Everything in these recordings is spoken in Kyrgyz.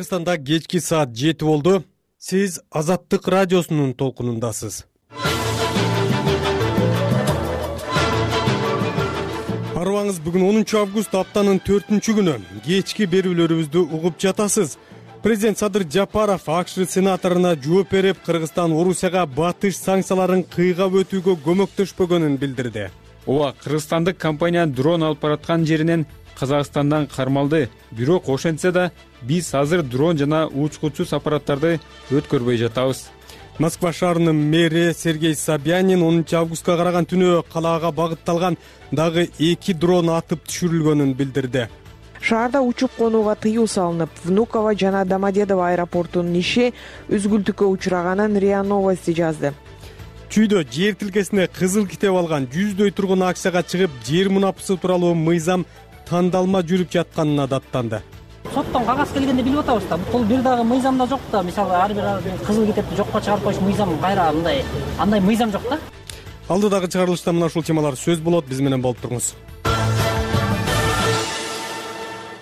Кыргызстанда кечки саат 7 болду. Сиз Азаттык радиосунун толкунундасыз. Арыбаңыз, бүгүн 10 август аптанын 4-күнү. Кечки берүүлөрүбүздү угуп жатасыз. Президент Садыр Жапаров АКШ сенаторуна жооп берип, Кыргызстан Орусияга батыш санкцияларын кыйгап өтүүгө көмөктөшпөгөнүн билдирди. Ооба, кыргызстандык компания дрон алып бараткан жеринен Казакстандан кармалды. Бирок ошентсе да биз азыр дрон жана учкучсуз аппараттарды өткөрбөй жатабыз. Москва шаарынын мэри Сергей Собянин 10 августка караган түнү калаага багытталган дагы 2 дрон атып түшүрүлгөнүн билдирди. Шаарда учуп конууга тыюу салынып, Внуково жана Домодедово аэропортунун иши үзгүлтүккө учураганын РИА Новости жазды. Чүйдө жер тилкесине кызыл китеп алган 100дөй тургун акцияга чыгып, жер мунапысы тууралуу мыйзам тандалма жүрүп жатканына даттанды. Соттон кагаз келгенде билип атабыз да, бул бир дагы мыйзамда жок да. Мисалы, ар бир кызыл китепти жокко чыгарып коюш мыйзам кайра андай мыйзам жок да. Алдыдагы чыгарылышта мына ушул темалар сөз болот, биз менен болуп туруңуз.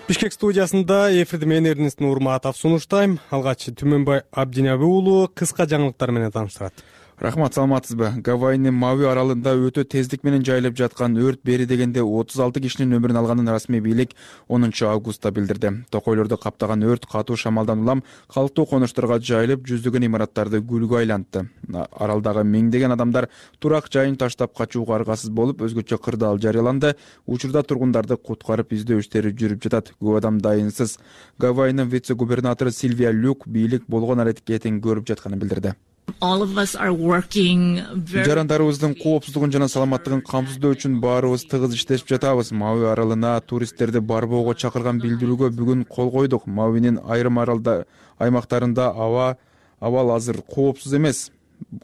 Бишкек студиясында эфирди мен Эрнест Нурматов сунуштайм. Алгач Түмөнбай Абдинаби уулу кыска жаңылыктар менен тааныштырат. Рахмат, саламатсызбы? Гавайинин Мауи аралында өтө тездик менен жайылып жаткан өрт бери дегенде 36 кишинин өмүрүн алганын расмий бийлик 10 августта билдирди. Токойлорду каптаган өрт катуу шамалдан улам калктуу конуштарга жайылып, жүздөгөн имараттарды күлгө айлантты. Аралдагы миңдеген адамдар турак жайын таштап качууга аргасыз болуп, өзгөчө кырдаал жарыяланды. Учурда тургундарды куткарып издөө иштери жүрүп жатат. Көп адам дайынсыз. Гавайинин вице-губернатору Сильвия Люк бийлик болгон аракетин көрүп жатканын билдирди. Жарандарыбыздын коопсуздугун жана саламаттыгын камсыздоо үчүн баарыбыз тыгыз иштешип жатабыз. Мауи аралына туристтерди барбоого чакырган билдирүүгө бүгүн кол койдук. Мауинин айрым аймактарында абал азыр коопсуз эмес.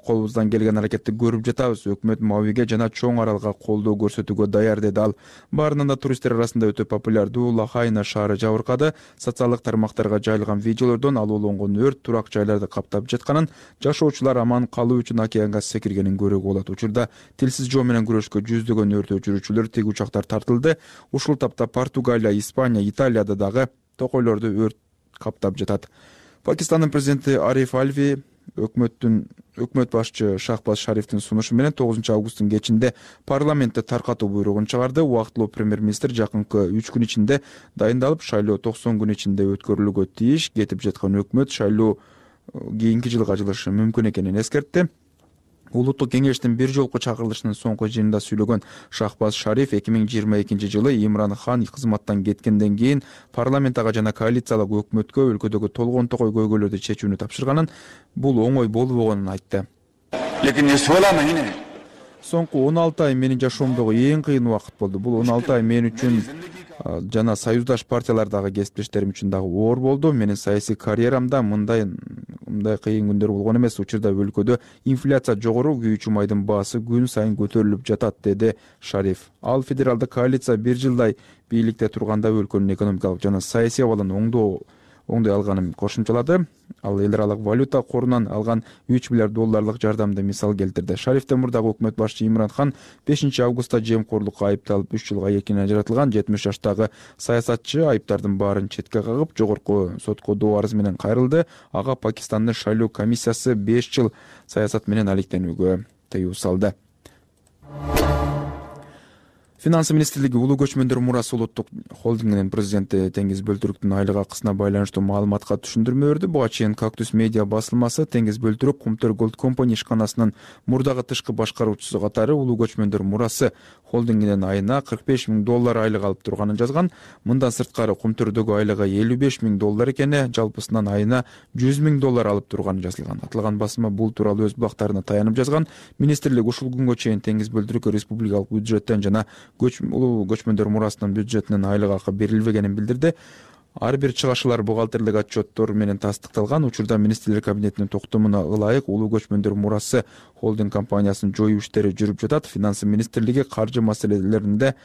Колубуздан келген аракетти көрүп жатабыз. Өкмөт Мауиге жана чоң аралга колдоо көрсөтүүгө даяр, деди ал. Баарынан да туристтер арасында өтө популярдуу Лахайна шаары жабыркады. Социалдык тармактарга жайылган видеолордон алууланган өрт турак жайларды каптап жатканын, жашоочулар аман калуу үчүн океанга секиргенин көрүүгө болот. Учурда тилсиз жоо менен күрөшкө жүздөгөн өрт өчүрүүчүлөр, тиг учактар тартылды. Ушул тапта Португалия, Испания, Италияда дагы токойлорду өрт каптап жатат. Пакистандын президенти Ариф Алви өкмөт башчы Шахбаз Шарифтин сунушу менен 9 августтун кечинде парламентте таркатуу буйругун чыгарды. Убактылуу премьер-министр жакынкы 3 күн ичинде дайындалып, шайлоо 90 күн ичинде өткөрүлүүгө тийиш. Кетип жаткан өкмөт шайлоо кийинки жылга жылышы мүмкүн экенин эскертти. Улуттук кеңештин бир жолку чакырылышынын соңку жыйынында сүйлөгөн Шахбаз Шариф 2022 жылы Имран Хан кызматтан кеткенден кийин парламентага жана коалициялык өкмөткө өлкөдөгү толгон токой көйгөйлөрдү чечүүнү тапшырганын, бул оңой болбогонун айтты. Соңку 16 ай менин жашоомдогу эң кыйын убакыт болду. Бул 16 ай мен үчүн жана союздаш партиялардагы кесиптештерим үчүн дагы оор болду. Менин саясий карьерамда мындай кыйын күндөр болгон эмес. Учурда өлкөдө инфляция жогору, күйүүчү майдын баасы күн сайын көтөрүлүп жатат, деди Шариф. Ал федералдык коалиция бир жылдай бийликте турганда өлкөнүн экономикалык жана саясий абалын оңдой алганын кошумчалады. Ал эл аралык валюта корунан алган 3 миллиард долларлык жардамды мисал келтирди. Шарифтен мурдагы өкмөт башчы Имран Хан 5 августта жемкорлукка айыпталып 3 жылга эркинен ажыратылган. 70 жаштагы саясатчы айыптардын баарын четке кагып, жогорку сотко доо арыз менен кайрылды. Ага Пакистандын шайлоо комиссиясы 5 жыл саясат менен алектенүүгө тыюу салды. Финансы министрлиги Улуу көчмөндөр мурасы улуттук холдингинин президенти Теңиз Бөлтүрүктүн айлык акысына байланыштуу маалыматка түшүндүрмө берди. Буга чейин Кактус медиа басылмасы Теңиз Бөлтүрүк Кумтөр Голд Компани ишканасынын мурдагы тышкы башкаруучусу катары Улуу көчмөндөр мурасы холдингинин айына $45,000 айлык алып турганын жазган. Мындан сырткары Кумтөрдөгү айлыгы $55,000 экени, жалпысынан айына $100,000 алып турганы жазылган. Аталган басма бул тууралуу өз булактарына таянып жазган. Министрлик ушул күнгө чейин Теңиз Бөлтүрүккө республикалык бюджеттен жана Улуу көчмөндөр мурасынын бюджетинен айлык акы берилбегенин билдирди. Ар бир чыгашылар бухгалтерлик отчеттор менен тастыкталган. Учурда министрлер кабинетинин токтомуна ылайык Улуу көчмөндөр мурасы холдинг компаниясынын жоюу иштери жүрүп жатат. Финансы министрлиги каржы маселелеринде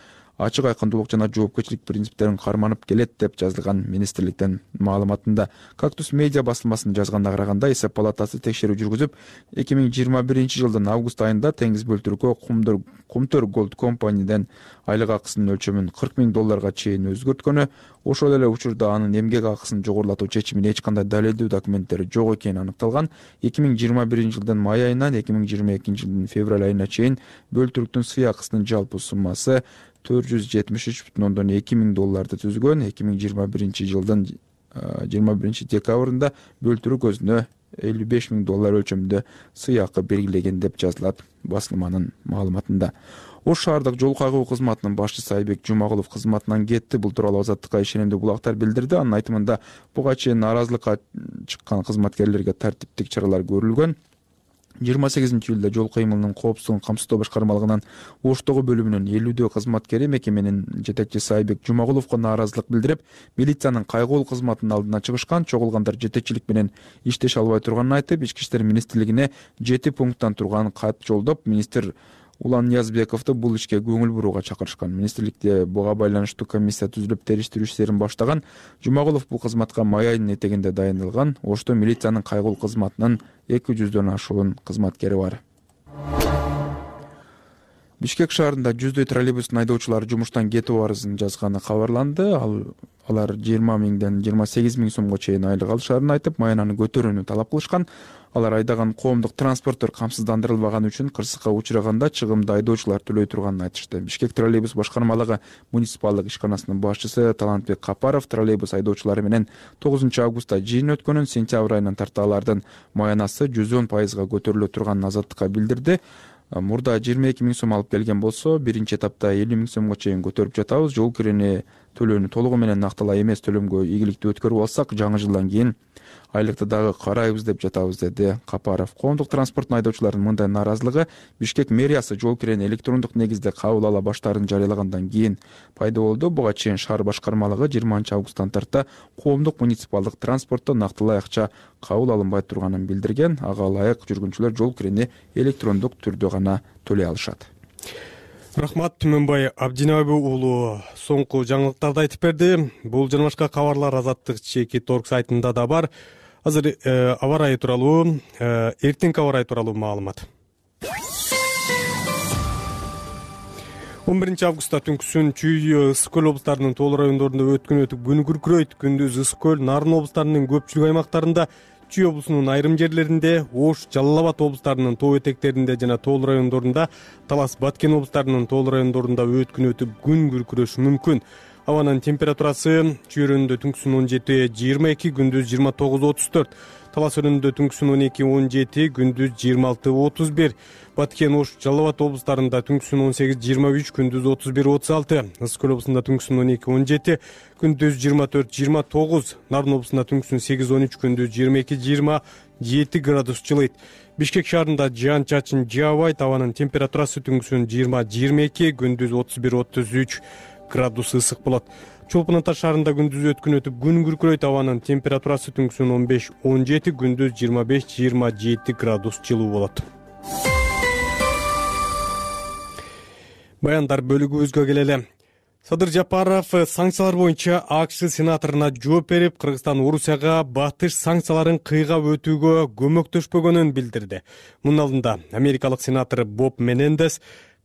ачык айкындуулук жана жоопкерчилик принциптерин карманып келет деп жазылган министрликтин маалыматында. Кактус медиа басылмасынын жазганына караганда эсеп палатасы текшерүү жүргүзүп, 2021 жылдын август айында Теңиз бөлтүрүккө Кумтөр Gold компаниядан айлык акысынын өлчөмүн $40,000 чейин өзгөрткөнү, ошол эле учурда анын эмгек акысын жогорулатуу чечимине эч кандай далилдүү документтери жок экени аныкталган. 2021 жылдын май айынан 2022 жылдын февраль айына чейин бөлтүрүктүн сый акысынын жалпы суммасы $473,2 түзгөн. 2021 жылдын 21 декабрында бөлтүрүк өзүнө $55,000 өлчөмүндө сый акы белгилеген деп жазылат басылманын маалыматында. Ош шаардык жол кайгуу кызматынын башчысы Айбек Жумагулов кызматынан кетти. Бул тууралуу Азаттыкка ишенимдүү булактар билдирди. Анын айтымында буга чейин нааразылыкка чыккан кызматкерлерге тартиптик чаралар көрүлгөн. 28-июлда жол кыймылынын коопсуздугун камсыздоо башкармалыгынын Оштогу бөлүмүнүн 50 кызматкери мекеменин жетекчиси Айбек Жумагуловго нааразылык билдирип, милициянын кайгылуу кызматынын алдына чыгышкан. Чогулгандар жетекчилик менен иштеше албай турганын айтып, Ички иштер министрлигине 7 пункттан турган кат жолдоп, министр Улан Ниязбековду бул ишке көңүл бурууга чакырышкан. Министрликте буга байланыштуу комиссия түзүлүп териштирүү иштерин баштаган. Жумагулов бул кызматка май айынын этегинде дайындалган. Ошто милициянын кайгылуу кызматынын 200дөн ашуун кызматкери бар. Бишкек шаарында жүздөй троллейбустун айдоочулары жумуштан кетүү арызын жазганы кабарланды. Алар 20 миңден 28 миң сомго чейин айлык алышарын айтып, маянаны көтөрүүнү талап кылышкан. Алар айдаган коомдук транспорттор камсыздандырылбаганы үчүн кырсыкка учураганда чыгымды айдоочулар төлөй турганын айтышты. Бишкек троллейбус башкармалыгы муниципалдык ишканасынын башчысы Талантбек Капаров троллейбус айдоочулары менен 9 августта жыйын өткөнүн, сентябрь айынан тарта алардын маянасы 110% көтөрүлө турганын Азаттыкка билдирди. Мурда 22 миң сом алып келген болсо, биринчи этапта 50 миң сомго чейин көтөрүп жатабыз. Жол кирени төлөөнү толугу менен накталай эмес төлөмгө ийгиликтүү өткөрүп алсак, жаңы жылдан кийин айлыкты дагы карайбыз деп жатабыз, деди Капаров. Коомдук транспорттун айдоочуларынын мындай нааразылыгы Бишкек мэриясы жол кирени электрондук негизде кабыл ала баштаарын жарыялагандан кийин пайда болду. Буга чейин шаар башкармалыгы 20 августтан тарта коомдук муниципалдык транспортто нактылай акча кабыл алынбай турганын билдирген. Ага ылайык жүргүнчүлөр жол кирени электрондук түрдө гана төлөй алышат. Рахмат, Түмөнбай Абдинабы уулу соңку жаңылыктарды айтып берди. Бул жана башка кабарлар Азаттык Чеки.org сайтында да бар. Азыр аба ырайы тууралуу, эртеңки аба ырайы тууралуу маалымат. 11 августта түнкүсүн Чүй, Ысык көл облустарынын Тоол райондорунда өткөн өтүп күн күркүрөйт. Күндүз Ысык көл, Нарын облустарынын көпчүлүк аймактарында, Чүй облусунун айрым жерлеринде, Ош, Жалал Абад облустарынын тоо этектеринде жана Тоол райондорунда, Талас, Баткен облустарынын Тоол райондорунда өткөн өтүп күн күркүрөшү мүмкүн. Абанын температурасы Чүй районунда түнкүсүн 17-22, күндүз 29-34. Талас районунда түнкүсүн 12-17, күндүз 26-31. Баткен, Ош, Жалал Абад облустарында түнкүсүн 18-23, күндүз 31-36. Ысык көл облусунда түнкүсүн 12-17, күндүз 24-29. Нарын облусунда түнкүсүн 8-13, күндүз 22-27 градус жылыйт. Бишкек шаарында жаан чачын жаабайт. Абанын температурасы түнкүсүн 20-22, күндүз 31-33 градус ысык болот. Чолпон Ата шаарында күндүз өткөн өтүп күн күркүрөйт. Абанын температурасы түнкүсүн 15-17, күндүз 25-27 градус жылуу болот. Баяндар бөлүгүбүзгө келели. Садыр Жапаров санкциялар боюнча АКШ сенаторуна жооп берип, Кыргызстан Орусияга батыш санкцияларын кыйгап өтүүгө көмөктөшпөгөнүн билдирди. Мунун алдында америкалык сенатор Боб Менендес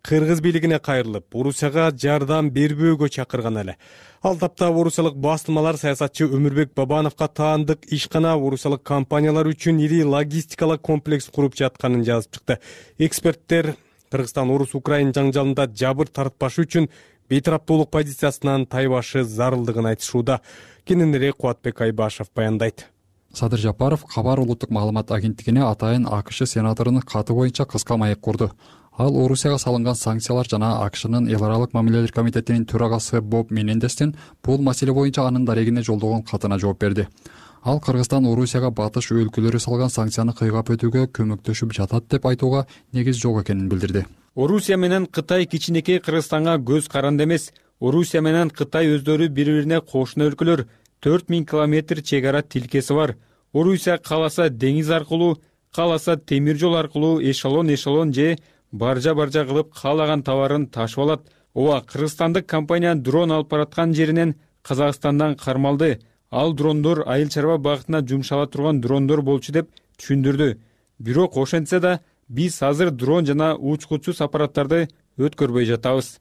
Кыргыз бийлигине кайрылып, Орусияга жардам бербөөгө чакырган эле. Ал тапта орусиялык басылмалар саясатчы Өмүрбек Бабановго таандык ишкана орусиялык компаниялар үчүн ири логистикалык комплекс куруп жатканын жазып чыкты. Эксперттер Кыргызстан Орус-Украин жаңжалында жабыр тартпашы үчүн бейтараптуулук позициясынан тайбашы зарылдыгын айтышууда. Кененирээк Кубатбек Айбашев баяндайт. Садыр Жапаров Кабар улуттук маалымат агенттигине атайын АКШ сенаторунун каты боюнча кыска маек курду. Ал Орусияга салынган санкциялар жана АКШнын эл аралык мамилелер комитетинин төрагасы Боб Менендестин бул маселе боюнча анын дарегине жолдогон катына жооп берди. Ал Кыргызстан Орусияга батыш өлкөлөрү салган санкцияны кыйгап өтүүгө көмөктөшүп жатат деп айтууга негиз жок экенин билдирди. Орусия менен Кытай кичинекей Кыргызстанга көз каранды эмес. Орусия менен Кытай өздөрү бири-бирине кошуна өлкөлөр. 4000 километр чек ара тилкеси бар. Орусия кааласа деңиз аркылуу, кааласа темир жол аркылуу эшелон же баржа кылып каалаган товарын ташып алат. ооба, кыргызстандык компания дрон алып бараткан жеринен Казакстандан кармалды. Ал дрондор айыл чарба багытына жумшала турган дрондор болчу деп түшүндүрдү. Бирок ошентсе да биз азыр дрон жана учкучсуз аппараттарды өткөрбөй жатабыз.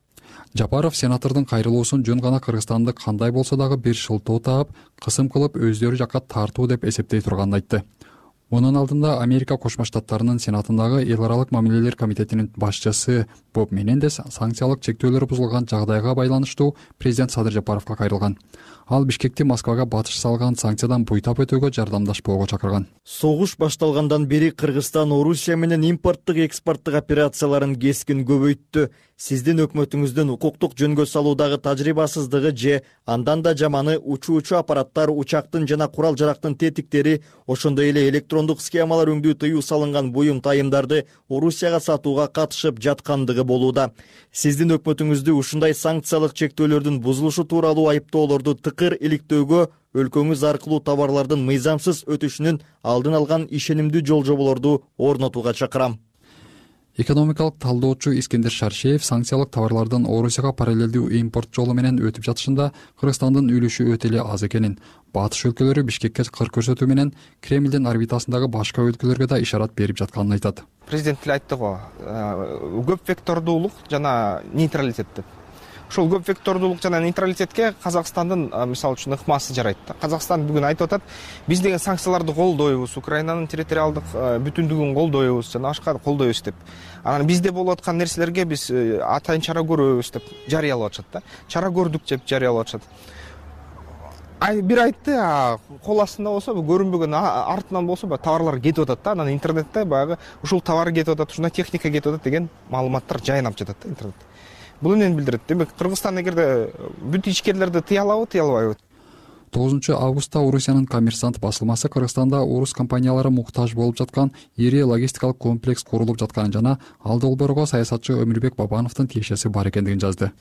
Жапаров сенатордун кайрылуусун жөн гана Кыргызстанды кандай болсо дагы бир шылтоо таап, кысым кылып өздөрү жакка тартуу деп эсептей турганын айтты. Мунун алдында Америка Кошмо Штаттарынын Сенатындагы эл аралык мамилелер комитетинин башчысы Боб Менендес санкциялык чектөөлөр бузулган жагдайга байланыштуу президент Садыр Жапаровго кайрылган. Ал Бишкекти Москвага батыш салган санкциядан буйтап өтүүгө жардамдашпоого чакырган. Согуш башталгандан бери Кыргызстан Орусия менен импорттук экспорттук операцияларын кескин көбөйттү. Сиздин өкмөтүңүздүн укуктук жөнгө салуудагы тажрыйбасыздыгы же андан да жаманы учуучу аппараттар, учактын жана курал жарактын тетиктери, ошондой эле электрондук схемалар өңдүү тыюу салынган буюм тайымдарды Орусияга сатууга катышып жаткандыгы болууда. Сиздин өкмөтүңүздү ушундай санкциялык чектөөлөрдүн бузулушу тууралуу айыптоолорду тыкыр иликтөөгө, өлкөңүз аркылуу товарлардын мыйзамсыз өтүшүнүн алдын алган ишенимдүү жол-жоболорду орнотууга чакырам. Экономикалык талдоочу Искендер Шаршеев санкциялык товарлардын Орусияга параллелдүү импорт жолу менен өтүп жатышында Кыргызстандын үлүшү өтө эле аз экенин, батыш өлкөлөрү Бишкекке кыр көрсөтүү менен Кремлдин орбитасындагы башка өлкөлөргө да ишарат берип жатканын айтат. Президент эле айтты го, көп вектордуулук жана нейтралитет деп. Ошол көп вектордуулук жана нейтралитетке Казакстандын мисалы үчүн ыкмасы жарайт. Казакстан бүгүн айтып атат, биз деген санкцияларды колдойбуз, Украинанын территориалдык бүтүндүгүн колдойбуз жана башка колдойбуз деп. Анан бизде болуп аткан нерселерге биз атайын чара көрөбүз деп жарыялап атышат да. Чара көрдүк деп жарыялап атышат. Бир айтты, кол астында болсо, көрүнбөгөн артынан болсо товарлар кетип атат да. Анан интернетте баягы ушул товар кетип атат, ушундай техника кетип атат деген маалыматтар жайнап жатат да интернетте. Бул эмнени билдирет? Демек, Кыргызстан эгерде бүт ичкерлерди тыя алабы, тыя албайбы? 9 августта Орусиянын Коммерсант басылмасы Кыргызстанда орус компаниялары муктаж болуп жаткан ири логистикалык комплекс курулуп жатканын жана ал долбоорго саясатчы Өмүрбек Бабановдун тиешеси бар экендигин жазды.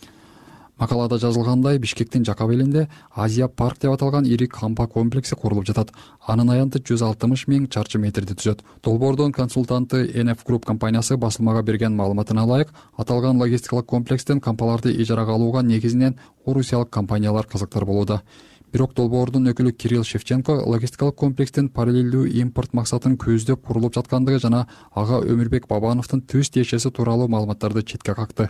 Макалада жазылгандай, Бишкектин жакап элинде Азия парк деп аталган ири кампа комплекси курулуп жатат. Анын аянты 160 000 чарчы метрди түзөт. Долбоордун консультанты NF Group компаниясы басылмага берген маалыматына ылайык, аталган логистикалык комплекстен кампаларды ижарага алууга негизинен орусиялык компаниялар кызыктар болууда. Бирок долбоордун өкүлү Кирилл Шевченко логистикалык комплекстин параллелдүү импорт максатын көздөп курулуп жаткандыгы жана ага Өмүрбек Бабановдун түз тиешеси тууралуу маалыматтарды четке какты.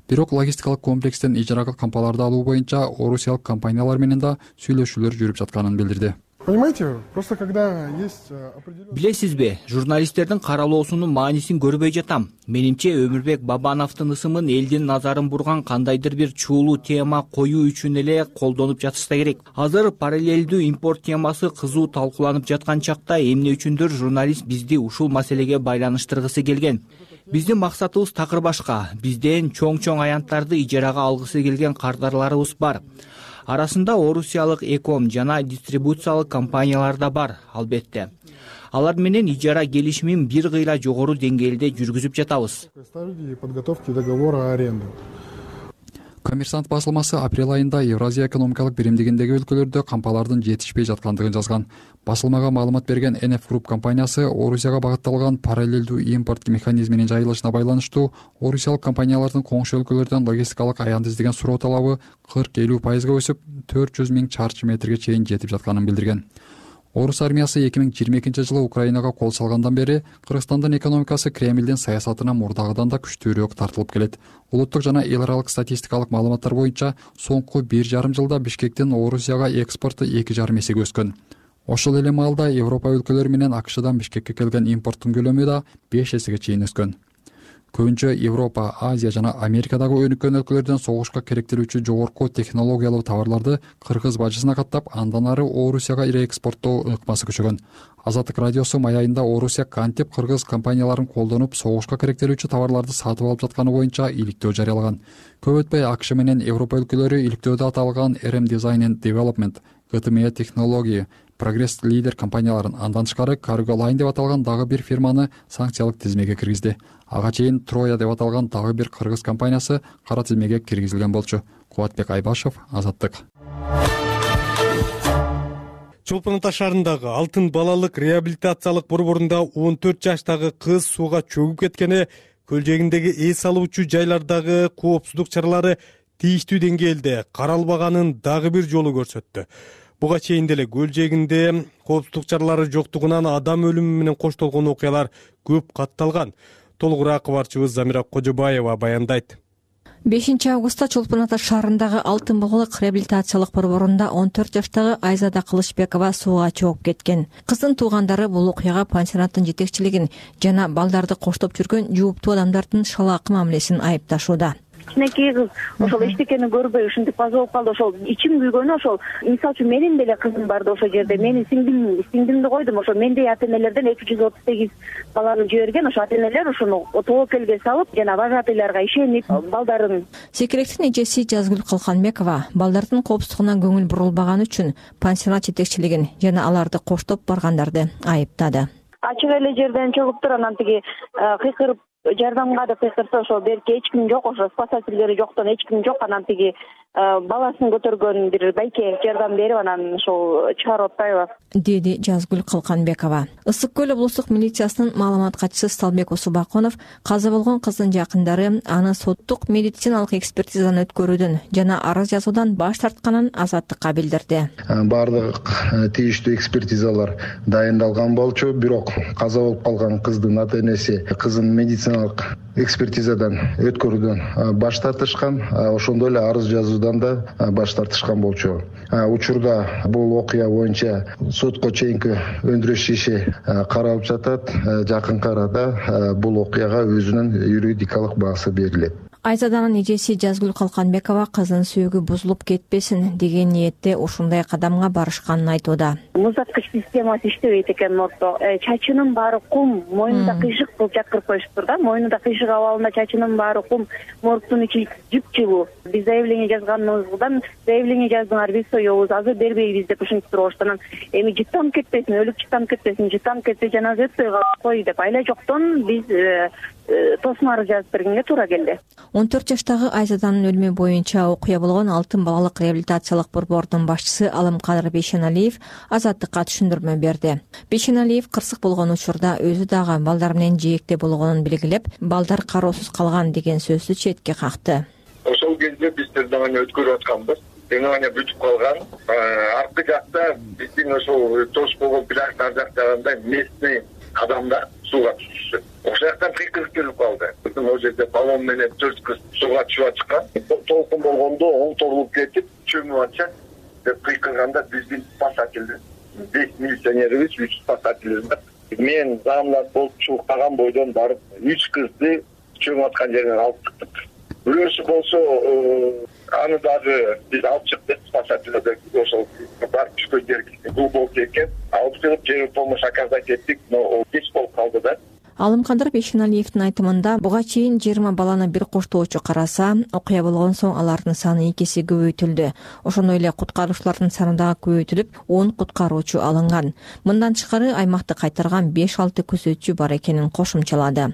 Бирок логистикалык комплекстен ижарага кампаларды алуу боюнча орусиялык компаниялар менен да сүйлөшүүлөр жүрүп жатканын билдирди. Понимаете, просто когда есть определенный... Билесизби, журналисттердин каралоосунун маанисин көрбөй жатам. Менимче Өмүрбек Бабановдун ысымын элдин назарын бурган кандайдыр бир чуулуу тема коюу үчүн эле колдонуп жатышса керек. Азыр параллелдүү импорт темасы кызуу талкууланып жаткан чакта эмне үчүндүр журналист бизди ушул маселеге байланыштыргысы келген. Биздин максатыбыз такыр башка. Бизден чоң аянттарды ижарага алгысы келген кардарларыбыз бар. Арасында орусиялык эком жана дистрибуциялык компаниялар да бар, албетте. Алар менен ижара келишимин бир кыйла жогору деңгээлде жүргүзүп жатабыз. Подготовки договора аренды. Коммерсант басылмасы апрель айында Евразия экономикалык биримдигиндеги өлкөлөрдө кампалардын жетишпей жаткандыгын жазган. Басылмага маалымат берген NF Group компаниясы Орусияга багытталган параллелдүү импорт механизминин жайылышына байланыштуу орусиялык компаниялардын коңшу өлкөлөрдөн логистикалык аянт издеген суроо талабы 40-50% өсүп 400 000 чарчы метрге чейин жетип жатканын билдирген. Орус армиясы 2022 жылы Украинага кол салгандан бери Кыргызстандын экономикасы Кремлдин саясатына мурдагыдан да күчтүүрөөк тартылып келет. Улуттук жана эл аралык статистикалык маалыматтар боюнча соңку 1,5 жылда Бишкектин Орусияга экспорту 2,5 эсеге өскөн. Ошол эле маалда Европа өлкөлөрү менен АКШдан Бишкекке келген импорттун көлөмү да 5 эсеге чейин өскөн. Көбүнчө Европа, Азия жана Америкадагы өнүккөн өлкөлөрдөн согушка керектелүүчү жогорку технологиялуу товарларды кыргыз бажысына каттап, андан ары Орусияга реэкспорттоо ыкмасы күчөгөн. Азаттык радиосу май айында Орусия кантип кыргыз компанияларын колдонуп согушка керектелүүчү товарларды сатып алып жатканы боюнча иликтөө жарыялаган. Көп өтпөй АКШ менен Европа өлкөлөрү иликтөөдө аталган RM Design and Development, GTM Technology, Progress Leader компанияларын, андан тышкары Cargo Line деп аталган дагы бир фирманы санкциялык тизмеге киргизди. Ага чейин Троя деп аталган дагы бир кыргыз компаниясы кара тизмеге киргизилген болчу. Кубатбек Айбашев, Азаттык. Чолпон Ата шаарындагы Алтын балалык реабилитациялык борборунда 14 жаштагы кыз сууга чөгүп кеткени көлжегиндеги эс алуучу жайлардагы коопсуздук чаралары тийиштүү деңгээлде каралбаганын дагы бир жолу көрсөттү. Буга чейин деле көлжегинде коопсуздук чаралары жоктугунан адам өлүмү менен коштолгон окуялар көп катталган. Толугураак кабарчыбыз Замира Кожобаева баяндайт. 5 августта Чолпон Ата шаарындагы Алтын Булгулук реабилитациялык борборунда 14 жаштагы Айзада Кылычбекова сууга чогуп кеткен. Кыздын туугандары бул окуяга пансионаттын жетекчилигин жана балдарды коштоп жүргөн жооптуу адамдардын шалаакы мамилесин айыпташууда. Кичинекей кыз ошол эчтекени көрбөй ушинтип каза болуп калды. Ошол ичим күйгөнү ошол мисалы үчүн менин деле кызым барды ошол жерде. Менин сиңдимди койдум. Ошо мендей ата-энелерден 238 баланы жиберген. Ошо ата-энелер ушуну тобокелге салып, жана вожатыйларга ишенип балдарын. Секиректин эжеси Жазгүл Калканбекова балдардын коопсуздугуна көңүл бурулбаганы үчүн пансионат жетекчилигин жана аларды коштоп баргандарды айыптады. Ачык эле жерден чогуп туруп анан тиги кыйкырып жардамга деп кыйкырса ошол берки эч ким жок, ошо спасательдери жоктон эч ким жок. Анан тиги баласын көтөргөн бир байке жардам берип анан ошол чыгарып атпайбы, деди Жазгүл Калканбекова. Ысык көл облустук милициясынын маалымат катчысы Сталбек Усубаконов каза болгон кыздын жакындары аны соттук медициналык экспертизадан өткөрүүдөн жана арыз жазуудан баш тартканын азаттыкка билдирди. Бардык тийиштүү экспертизалар дайындалган болчу, бирок каза болуп калган кыздын ата-энеси кызын медициналык экспертизадан өткөрүүдөн баш тартышкан, ошондой эле арыз жазуудан да баш тартышкан болчу. Учурда бул окуя боюнча сотко чейинки өндүрүш иши каралып жатат. Жакынкы арада бул окуяга өзүнүн юридикалык баасы берилет. Айзаданын эжеси Жазгүл Калканбекова кыздын сөөгү бузулуп кетпесин деген ниетте ушундай кадамга барышканын айтууда. Музаткыч системасы иштебейт экен мордто. Чачынын баары кум, мойнунда кыйшык кылып жаткырып коюшуптур да. Мойнунда кыйшык абалында чачынын баары кум, мордтун ичи жыпчылуу. Биз заявление жазганыбыздан заявление жаздыңар, биз соёбуз, азыр бербейбиз деп ушинтип туруп эми жыттанып кетпесин, өлүк жыттанып кетсе жаназа өтпөй кой деп айла жоктон биз тосмары жазып бергенге туура келди. 14 жаштагы Айзаданын өлүмү боюнча окуя болгон Алтын балалык реабилитациялык борбордун башчысы Алымкадыр Бейшеналиев азаттыкка түшүндүрмө берди. Бейшеналиев кырсык болгон учурда өзү дагы балдар менен жээкте болгонун белгилеп, балдар кароосуз калган деген сөздү четке какты. Ошол кезде биз тергөөнү өткөрүп атканбыз. Тергөөнү бүтүп калган. Аркы жакта биздин ошол тош болгон пляждар жактагандай местный адамдар сууга түшүшү. Ошол жактан кыйкырып келип калды. Ал жерде баллон менен 4 кыз сууга түшүп чыккан. Толкун болгондо оңтолуп кетип, чөмүп атча деп кыйкырганда биздин спасательдер 5 милиционерибиз, 3 спасательбиз бар. Мен замлат болуп чукаган бойдон барып 3 кызды чөмүп аткан жерден алып чыктык. Бирөөсү болсо аны дагы биз алып чыктык, спасательдер ошол барып түшкөн жер глубокий экен. Алып чыгып жер помощь оказать эттик, но кеч болуп калды да. Алымкадыр Бейшеналиевдин айтымында буга чейин 20 баланы бир коштоочу караса, окуя болгон соң алардын саны 2 эсе көбөйтүлдү. Ошондой эле куткаруучулардын саны дагы көбөйтүлүп, 10 куткаруучу алынган. Мындан тышкары аймакты кайтарган 5-6 күзөтчү бар экенин кошумчалады.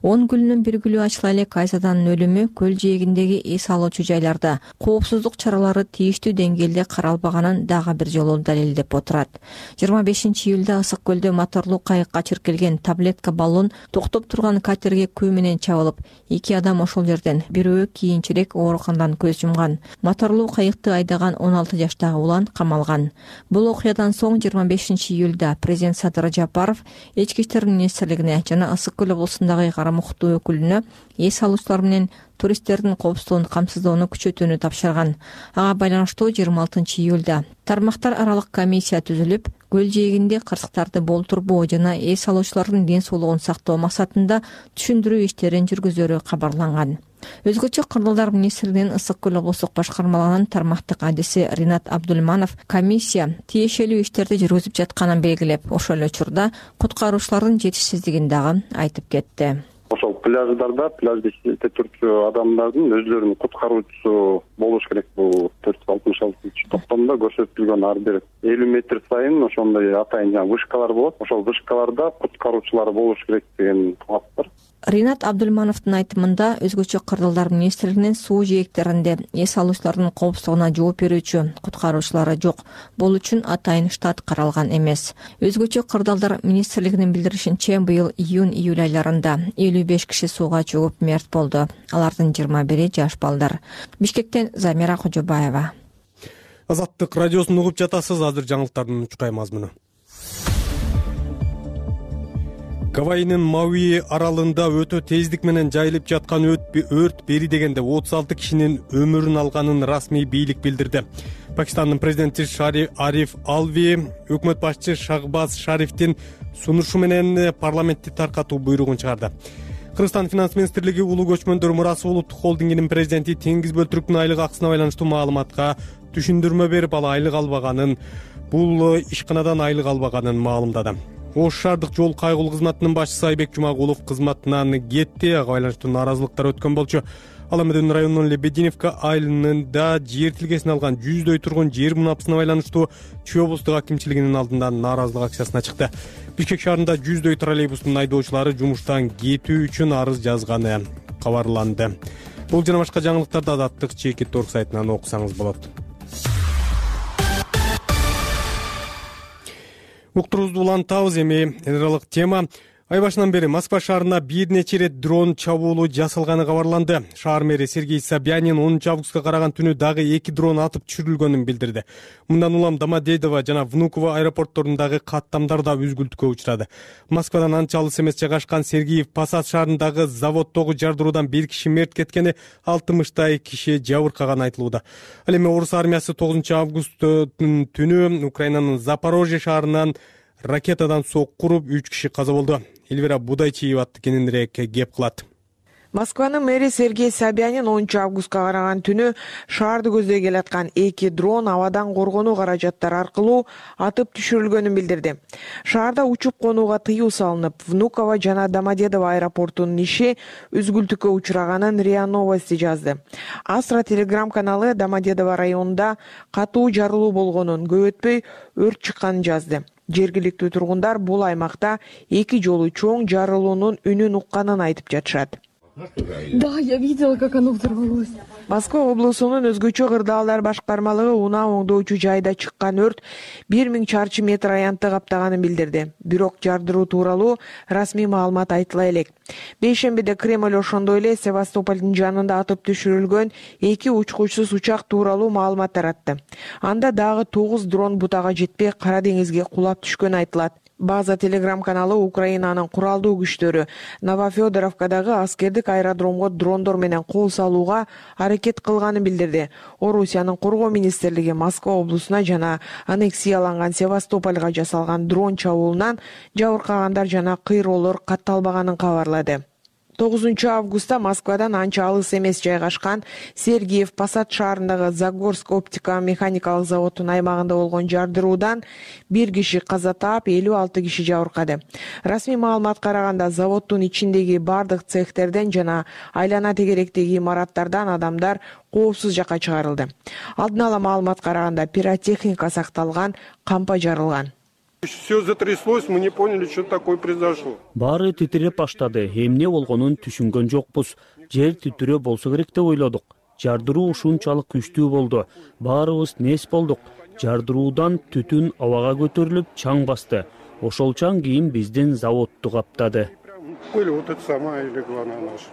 10 гүлүнүн бир гүлү ачыла элек Айзаданын өлүмү көл жээгиндеги эс алуучу жайларда коопсуздук чаралары тийиштүү деңгээлде каралбаганын дагы бир жолу далилдеп отурат. 25-июлда Ысык көлдө моторлуу кайыкка чиркелген таблетка баллон токтоп турган катерге күү менен чабылып, 2 адам ошол жерден, бирөө кийинчерээк ооруканадан көз жумган. Моторлуу кайыкты айдаган 16 жаштагы улан камалган. Бул окуядан соң 25-июлда президент Садыр Жапаров Ички иштер министрлигине жана Ысык көл облусундагы карамуктуу өкүлүнө эс алуучулар менен туристтердин коопсуздугун камсыздоону күчөтүүнү тапшырган. Ага байланыштуу 26-июлда тармактар аралык комиссия түзүлүп, көл жээгинде кырсыктарды болтурбоо жана эс алуучулардын ден соолугун сактоо максатында түшүндүрүү иштерин жүргүзөрү кабарланган. Өзгөчө Кырдалдар министрлигинин Ысык көл облустук башкармалыгынын тармактык адиси Ринат Абдулманов комиссия тиешелүү иштерди жүргүзүп жатканын белгилеп, ошол эле учурда куткаруучулардын жетишсиздигин дагы айтып кетти. Ошол пляждарда пляжда иштеп турчу адамдардын өзлөрүнүн куткаруучусу болуш керек. Бул 466-токтомдо көрсөтүлгөн ар бир 50 метр сайын ошондой атайын вышкалар болот. Ошол вышкаларда куткаруучулар болуш керек деген талап бар. Ринат Абдулмановдун айтымында өзгөчө Кырдалдар министрлигинин суу жээктеринде эс алуучулардын коопсуздугуна жооп берүүчү куткаруучулары жок. Бул үчүн атайын штат каралган эмес. Өзгөчө Кырдалдар министрлигинин билдиришинче, быйыл июнь-июль айларында 55 киши сууга чөгүп мерт болду. Алардын 21-и жаш балдар. Бишкектен Замира Кожобаева. Азаттык радиосун угуп жатасыз. Азыр жаңылыктардын учкай мазмуну. Гавайинин Мауи аралында өтө тездик менен жайылып жаткан өрт бери дегенде 36 кишинин өмүрүн алганын расмий бийлик билдирди. Пакистандын президенти Ариф Алви өкмөт башчы Шахбаз Шарифтин сунушу менен парламентти таркатуу буйругун чыгарды. Кыргызстан финанс министрлиги улуу көчмөндөр мурасы улуттук холдингинин президенти Теңиз Бөлтүрүктүн айлык акысына байланыштуу маалыматка түшүндүрмө берип, ал айлык албаганын, бул ишканадан айлык албаганын маалымдады. Ош шаардык жол кайгылуу кызматынын башчысы Айбек Жумагулов кызматынан кетти. Ага байланыштуу нааразылыктар өткөн болчу. Ал эми районунун Лебединовка айылында жер тилкесин алган 100дөй тургун жер мунапасына байланыштуу Чүй облустук акимчилигинин алдында нааразылык акциясына чыкты. Бишкек шаарында 100дөй троллейбустун айдоочулары жумуштан кетүү үчүн арыз жазганы кабарланды. Бул жана башка жаңылыктарды Азаттык Чекит.org сайтынан окусаңыз болот. Уктуруубузду улантабыз. Эми энералык тема. Ай башынан бери Москва шаарына бир нече ирет дрон чабуулу жасалганы кабарланды. Шаар мэри Сергей Собянин 10 августка караган түнү дагы 2 дрон атып түшүрүлгөнүн билдирди. Мындан улам Домодедово жана Внуково аэропортторундагы каттамдар да үзгүлтүккө учурады. Москвадан анча алыс эмес жайгашкан Сергеев Посад шаарындагы заводдогу жардыруудан 1 киши мерт кеткени, 60 киши жабыркаганы айтылууда. Ал эми орус армиясы 9 августтун түнү Украинанын Запорожье шаарынан ракетадан сокку уруп 3 киши каза болду. Эльвира Будайчиева кененирээк кеп кылат. Москванын мэри Сергей Собянин 10 августка караган түнү шаарды көздөй келаткан 2 дрон абадан коргонуу каражаттары аркылуу атып түшүрүлгөнүн билдирди. Шаарда учуп конууга тыюу салынып, Внуково жана Домодедово аэропортунун иши үзгүлтүккө учураганын РИА Новости жазды. Астра телеграм каналы Домодедово районунда катуу жарылуу болгонун, көп өтпөй өрт чыкканын жазды. Жергиликтүү тургундар бул аймакта 2 жолу чоң жарылуунун үнүн укканын айтып жатышат. Да, я видела, как оно взорвалось. Москва облусунун өзгөчө кырдаалдар башкармалыгы унаа оңдоочу жайда чыккан өрт 1000 чарчы метр аянтты каптаганын билдирди. Бирок жардыруу тууралуу расмий маалымат айтыла элек. Бейшембиде Кремль ошондой эле Севастополдун жанында атып түшүрүлгөн 2 учкучсуз учак тууралуу маалымат таратты. Анда дагы 9 дрон бутага жетпей Кара деңизге кулап түшкөнү айтылат. База телеграм каналы Украинанын куралдуу күчтөрү Новофёдоровкадагы аскердик аэродромго дрондор менен кол салууга аракет кылганын билдирди. Орусиянын коргоо министрлиги Москва облусуна жана аннексияланган Севастопольга жасалган дрон чабуулунан жабыркагандар жана кыйроолор катталбаганын кабарлады. 9 августта Москвадан анча алыс эмес жайгашкан Сергеев Посад шаарындагы Загорск оптика механикалык заводунун аймагында болгон жардыруудан 1 киши каза таап, 56 киши жабыркады. Расмий маалыматка караганда заводдун ичиндеги бардык цехтерден жана айлана тегеректеги имараттардан адамдар коопсуз жакка чыгарылды. Алдын ала маалыматка караганда пиротехника сакталган, кампа жарылган. Все затряслось, мы не поняли, что такое произошло. Баары титиреп баштады. Эмне болгонун түшүнгөн жокпуз. Жер титирөө болсо керек деп ойлодук. Жардыруу ушунчалык күчтүү болду. Баарыбыз нес болдук. Жардыруудан түтүн абага көтөрүлүп чаң басты. Ошол чаң кийин биздин заводду каптады. Вот это самая и легла на наш.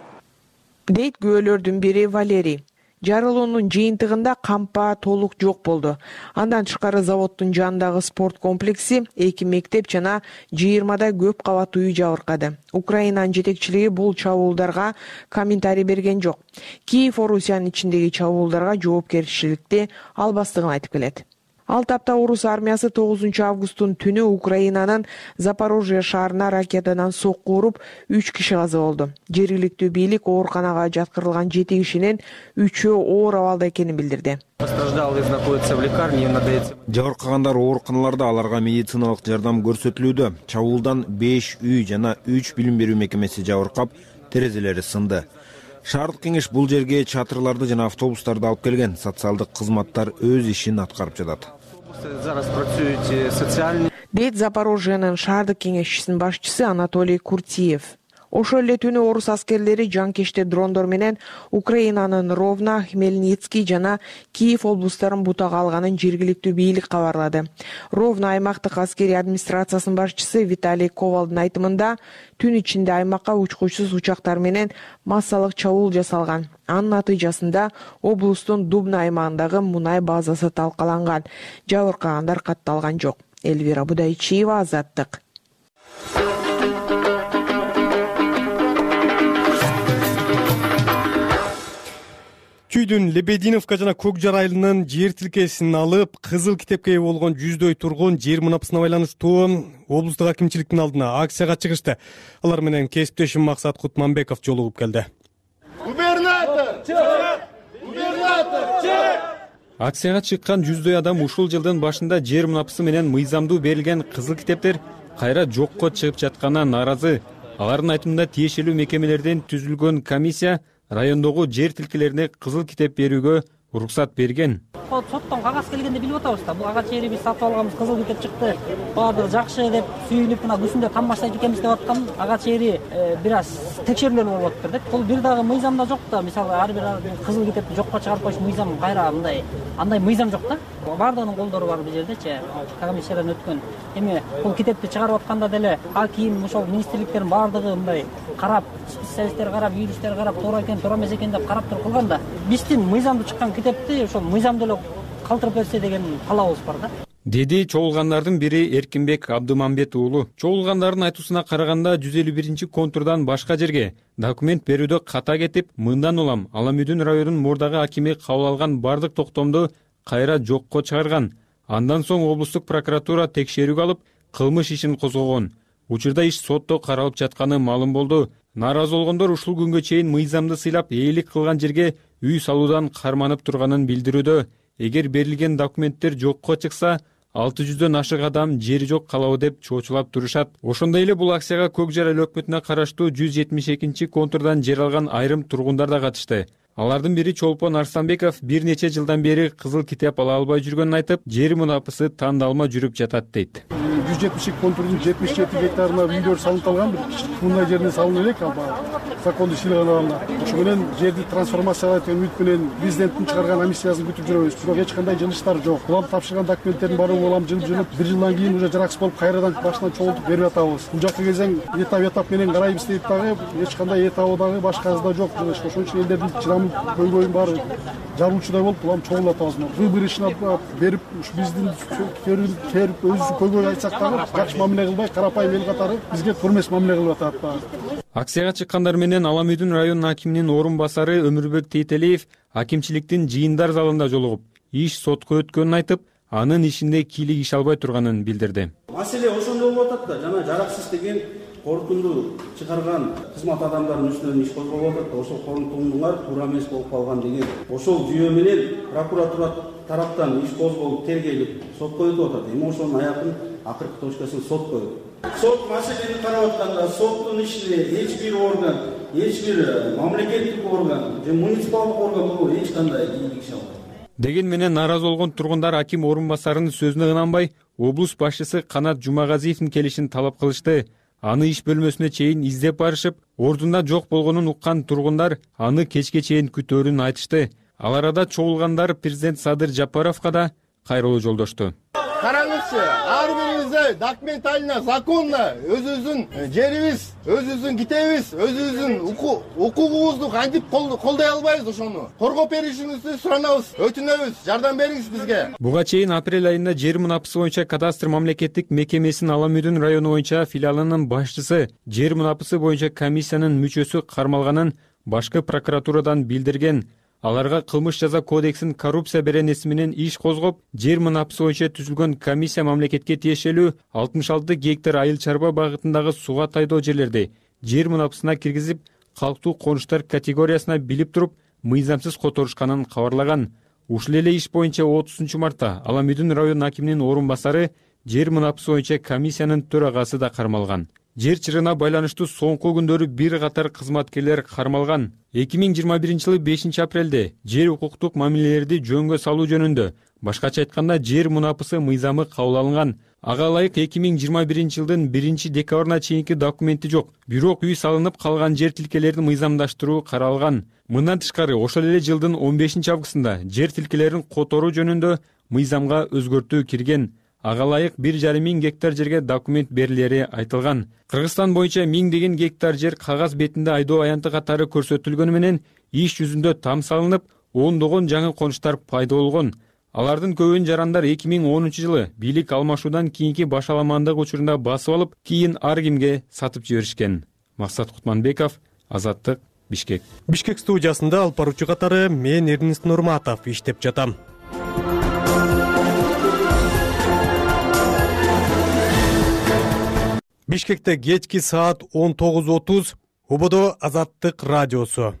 Дейт күбөлөрдүн бири Валерий. Жарылуунун жыйынтыгында кампа толук жок болду. Андан тышкары заводдун жанындагы спорт комплекси, 2 мектеп жана 20 көп кабаттуу үй жабыркады. Украинанын жетекчилиги бул чабуулдарга комментарий берген жок. Киев Орусиянын ичиндеги чабуулдарга жоопкерчиликти албастыгын айтып келет. Ал тапта орус армиясы 9 августтун түнү Украинанын Запорожье шаарына ракетадан сокку уруп 3 киши каза болду. Жергиликтүү бийлик ооруканага жаткырылган 7 кишинин 3-өө оор абалда экенин билдирди. Постраждалые находятся в лекарне, им надо идти. Жабыркагандар ооруканаларда, аларга медициналык жардам көрсөтүлүүдө. Чабуулдан 5 үй жана 3 билим берүү мекемеси жабыркап, терезелери сынды. Шаардык кеңеш бул жерге чатырларды жана автобустарды алып келген. Социалдык кызматтар өз ишин аткарып жатат. Дейт Запорожьенын шаардык кеңешчисинин башчысы Анатолий Куртиев. Ошол эле түнү орус аскерлери жанкечте дрондор менен Украинанын Ровно, Хмельницкий жана Киев облустарын бутага алганын жергиликтүү бийлик кабарлады. Ровно аймактык аскерий администрациясынын башчысы Виталий Ковалдын айтымында түн ичинде аймакка учкучсуз учактар менен массалык чабуул жасалган. Анын натыйжасында облустун Дубна аймагындагы мунай базасы талкаланган. Жабыркагандар катталган жок. Элвира Будайчиева, Азаттык. Күйдүн Лебединовка жана Көкжар айылынын жер тилкесин алып, кызыл китепке ээ болгон 100дөй тургун жер мунапасына байланыштуу облустук акимчиликтин алдына акцияга чыгышты. Алар менен кесиптешим Максат Кутманбеков жолугуп келди. Акцияга чыккан 100дөй адам ушул жылдын башында жер мунапасы менен мыйзамдуу берилген кызыл китептер кайра жокко чыгып жатканына нааразы. Алардын айтымында тиешелүү мекемелерден түзүлгөн комиссия райондогу жер тилкелерине кызыл китеп берүүгө уруксат берген. Соттон кагаз келгенде билип атабыз да, бул ага жери биз сатып алганбыз, кызыл китеп чыкты, баардыгы жакшы деп сүйүнүп мына күсүндө камбаштайт экенбиз деп аткан ага жери бир аз текшерүүлөр болуп атыптыр да. Бул бир дагы мыйзамда жок да, мисалы ар бир кызыл китепти жокко чыгарып коюш мыйзам кайра мындай андай мыйзам жок да. Баардыгынын колдору бар бул жердечи, комиссиядан өткөн. Эми бул китепти чыгарып атканда деле аким, ошол министрликтердин баардыгы мындай карап, специалисттер карап, юристтер карап, туура экен, туура эмес экен деп карап туруп кылган да. Биздин мыйзамда чыккан китепти ошол мыйзамда эле калтырып берсе деген каалабыбыз бар да. Деди чогулгандардын бири Эркинбек Абдымамбет уулу. Чогулгандардын айтуусуна караганда 151-контурдан башка жерге документ берүүдө ката кетип, мындан улам Аламүйдүн районунун мурдагы акими кабыл алган бардык токтомду кайра жокко чыгарган. Андан соң облустук прокуратура текшерүүгө алып, кылмыш ишин козгогон. Учурда иш сотто каралып жатканы маалым болду. Нааразы болгондор ушул күнгө чейин мыйзамды сыйлап ээлик кылган жерге үй салуудан карманып турганын билдирүүдө. Эгер берилген документтер жокко чыкса, 600дөн ашык адам жери жок калабы деп чоочулап турушат. Ошондой эле бул акцияга Көкжар айыл өкмөтүнө караштуу 172-контурдан жер алган айрым тургундар да катышты. Алардын бири Чолпон Арстанбеков бир нече жылдан бери кызыл китеп ала албай жүргөнүн айтып, жер мунапасы тандалма жүрүп жатат дейт. 172-контурдун 77 гектарына үйлөр салынып алган, бир мындай жерине салынып элек, законду ишине алганда. Ошо менен жерди трансформациялайт деген үмүт менен президенттин чыгарган амнистиясын күтүп жүрөбүз. Бирок эч кандай жылыштар жок. Улам тапшырган документтердин баары улам жылып, бир жылдан кийин уже жараксыз болуп, кайрадан башынан чогултуп берип атабыз. Бул жакка келсең, этап менен карайбыз дейт дагы, эч кандай этабы дагы башкасы да жок. Ошон үчүн элдердин чыдамы көйгөйүн баары жаруучудай болуп, улам чогулуп атабыз. Выбор ишин берип, биздин керип өзү көйгөй айтсак дагы жакшы мамиле кылбай, карапайым эл катары бизге турмес мамиле кылып атат. Акцияга чыккандар менен Аламүйдүн районунун акиминин орун басары Өмүрбек Тейтелиев акимчиликтин жыйындар залында жолугуп, иш сотко өткөнүн айтып, анын ишинде кийлик иш албай турганын билдирди. Маселе ошондой болуп атат да, жана жараксыз деген корутунду чыгарган кызмат адамдарынын үстүнөн иш козголуп атат да, ошол корутундулар туура эмес болуп калган деген. Ошол жүйө менен прокуратура тараптан иш козголуп, тергелип, сотко өтүп атат. Эми ошонун аягын акыркы точкасын сот коет. Сот маселени карап атканда, соттун ишине эч бир орган, эч бир мамлекеттик орган же муниципалдык орган бул эч кандай кийлик иш албайт. Деген менен нааразы болгон тургундар аким орун басарынын сөзүнө ынанбай, облус башчысы Канат Жумагазиевдин келишин талап кылышты. Аны иш бөлмөсүнө чейин издеп барышып, ордунда жок болгонун уккан тургундар аны кечке чейин күтөөрүн айтышты. Ал арада чогулгандар президент Садыр Жапаровго да кайрылуу жолдошту. Караңызчы, ар бирибизде документально, законно өзүбүздүн жерибиз, өзүбүздүн китебиз, өзүбүздүн укугубузду кантип колдой албайбыз, ошону коргоп беришиңизди суранабыз, өтүнөбүз, жардам бериңиз бизге. Буга чейин апрель айында жер мунапасы боюнча кадастр мамлекеттик мекемесинин Аламүйдүн району боюнча филиалынын башчысы жер мунапасы боюнча комиссиянын мүчөсү кармалганын башкы прокуратурадан билдирген. Аларга кылмыш жаза кодексинин коррупция беренеси менен иш козгоп, жер мунапасы боюнча түзүлгөн комиссия мамлекетке тиешелүү 66 гектар айыл чарба багытындагы суга тайдоо жерлерди жер мунапасына киргизип, калктуу конуштар категориясына билип туруп, мыйзамсыз которушканын кабарлаган. Ушул эле иш боюнча 30-мартта Аламүйдүн район акиминин орун басары жер мунапасы боюнча комиссиянын төрагасы да кармалган. Жер чырына байланыштуу соңку күндөрү бир катар кызматкерлер кармалган. 2021-жылы 5-апрелде жер укуктук мамилелерди жөнгө салуу жөнүндө, башкача айтканда жер мунапасы мыйзамы кабыл алынган. Ага ылайык 2021-жылдын 1-декабрына чейинки документи жок. Бирок үй салынып калган жер тилкелерин мыйзамдаштыруу каралган. Мындан тышкары ошол эле жылдын 15-августунда жер тилкелерин которуу жөнүндө мыйзамга өзгөртүү кирген. Ага ылайык 1,5 миң гектар жерге документ берилери айтылган. Кыргызстан боюнча миңдеген гектар жер кагаз бетинде айдоо аянты катары көрсөтүлгөнү менен иш жүзүндө там салынып, ондогон жаңы конуштар пайда болгон. Алардын көбүн жарандар 2010-жылы бийлик алмашуудан кийинки башаламандык учурунда басып алып, кийин ар кимге сатып жиберишкен. Максат Кутманбеков, Азаттык, Бишкек. Бишкек студиясында алып баруучу катары мен Эрнест Нурматов иштеп жатам. Бишкекте кечки саат 19:30, Ободо Азаттык радиосу.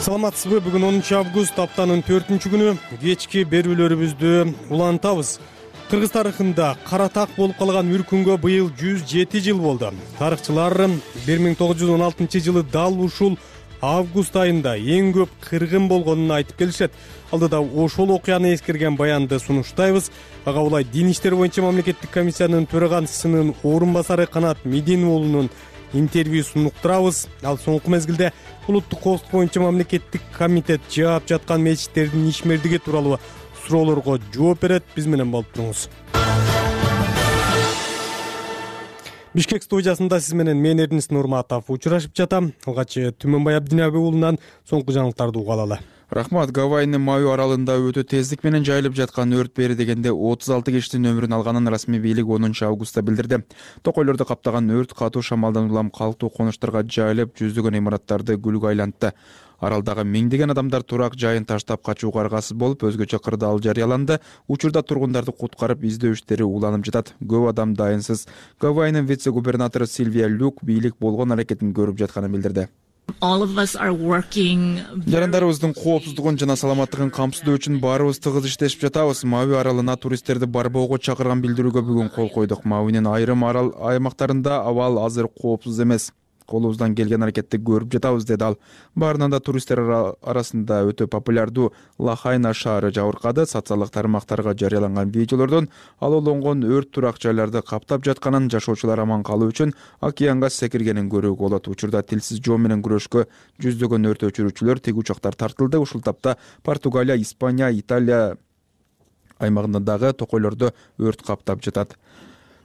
Саламатсызбы? Бүгүн 10-август, аптанын 4-күнү. Кечки берүүлөрүбүздү улантабыз. Кыргыз тарыхында кара так болуп калган үркүнгө быйыл 107 жыл болду. Тарыхчылар 1916-жылы дал ушул август айында эң көп кыргын болгонун айтып келишет. Алдыда ошол окуяны эскерген баянды сунуштайбыз. Ага улай Дин иштери боюнча мамлекеттик комиссиянын төрагасынын орун басары Канат Медин уулунун интервьюсун уктурабыз. Ал соңку мезгилде улуттук коопсуздук боюнча мамлекеттик комитет жаап жаткан мечиттердин ишмердиги тууралуу суроолорго жооп берет. Биз менен болуп туруңуз. Бишкек студиясында сиз менен мен Эрнест Нурматов учурашып жатам. Алгач Түмөнбай Абдинабек уулунан соңку жаңылыктарды угуп алалы. Рахмат. Гавайнын Маю аралында өтө тездик менен жайылып жаткан өрт бери дегенде 36 киштин өмүрүн алганын расмий бийлик 10-августта билдирди. Токойлорду каптаган өрт катуу шамалдан улам калктуу конуштарга жайылып, жүздөгөн имараттарды күлгө айлантты. Аралдагы миңдеген адамдар турак жайын таштап качууга аргасыз болуп, өзгөчө кырдаал жарыяланды. Учурда тургундарды куткарып издөө иштери уланып жатат. Көп адам дайынсыз. Гавайнын вице-губернатору Сильвия Люк бийлик болгон аракетин көрүп жатканын билдирди. Жарандарыбыздын коопсуздугун жана саламаттыгын камсыздоо үчүн баарыбыз тыгыз иштешип жатабыз. Мауи аралына туристтерди барбоого чакырган билдирүүгө бүгүн кол койдук. Мауинин айрым арал аймактарында абал азыр коопсуз эмес. Колубуздан келген аракетти көрүп жатабыз, деди ал. Баарынан да туристтер арасында өтө популярдуу Лахайна шаары жабыркады. Социалдык тармактарга жарыяланган видеолордон алоолонгон өрт турак жайларды каптап жатканын, жашоочулар аман калуу үчүн океанга секиргенин көрүүгө болот. Учурда тилсиз жоо менен күрөшкө жүздөгөн өрт өчүрүүчүлөр, тиг учактар тартылды. Ушул тапта Португалия, Испания, Италия аймагында дагы токойлордо өрт каптап жатат.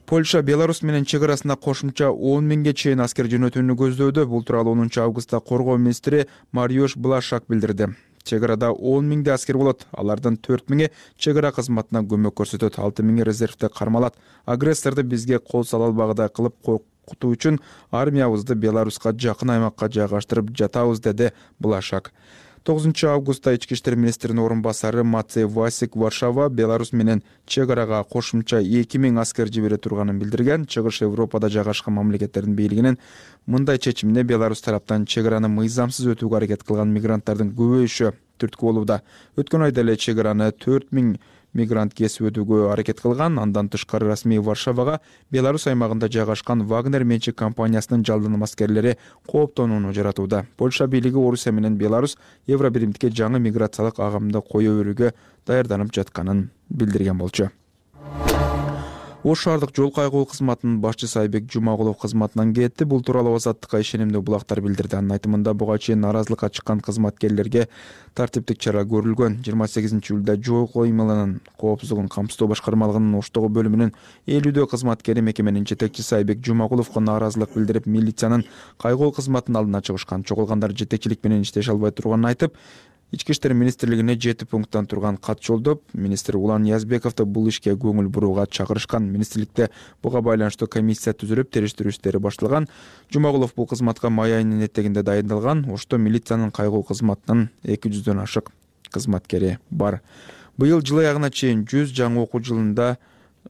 Польша Беларусь менен чек арасына кошумча 10 миңге чейин аскер жөнөтүүнү көздөөдө. Бул тууралуу 10-августта коргоо министри Мариуш Блашак билдирди. Чек арада 10 миңде аскер болот. Алардын 4 миңи чек ара кызматына көмөк көрсөтөт, 6 миңи резервде кармалат. Агрессорду бизге кол сала албагыдай кылып коркутуу үчүн армиябызды Беларуска жакын аймакка жайгаштырып жатабыз, деди Блашак. 9-августта ички иштер министринин орун басары Мацей Васик Варшава Беларусь менен чек арага кошумча 2 миң аскер жибере турганын билдирген. Чыгыш Европада жайгашкан мамлекеттердин бийлигинин мындай чечимине Беларусь тараптан чек араны мыйзамсыз өтүүгө аракет кылган мигранттардын көбөйүшү түрткү болууда. Өткөн айда эле чек араны 4 миң мигрант кесип өтүүгө аракет кылган. Андан тышкары расмий Варшавага Беларусь аймагында жайгашкан Вагнер менчик компаниясынын жалдыным аскерлери кооптонууну жаратууда. Польша бийлиги Орусия менен Беларусь Евробиримдикке жаңы миграциялык агымды коюу өрүүгө даярданып жатканын билдирген болчу. Ош шаардык жол кайгоо кызматынын башчысы Айбек Жумагулов кызматынан кетти. Бул тууралуу Азаттыкка ишенимдүү булактар билдирди. Анын айтымында буга чейин наразылыкка чыккан кызматкерлерге тартиптик чара көрүлгөн. 28-июлда жол коймаларынын коопсуздугун камсыздоо башкармалыгынын Оштогу бөлүмүнүн 50 кызматкери мекеменин жетекчиси Айбек Жумагуловго нааразылык билдирип, милициянын кайгоо кызматынын алдына чыгышкан. Чогулгандар жетекчилик менен иштеше албай турганын айтып, Ички иштер министрлигине 7 пункттан турган кат жолдоп, министр Улан Язбековду бул ишке көңүл бурууга чакырышкан. Министрликте буга байланыштуу комиссия түзүлүп, териштирүү иштери башталган. Жумагулов бул кызматка май айынын этегинде дайындалган. Ошто милициянын кайгоо кызматынын 200дөн ашык кызматкери бар. Быйыл жыл аягына чейин 100 жаңы окуу жылында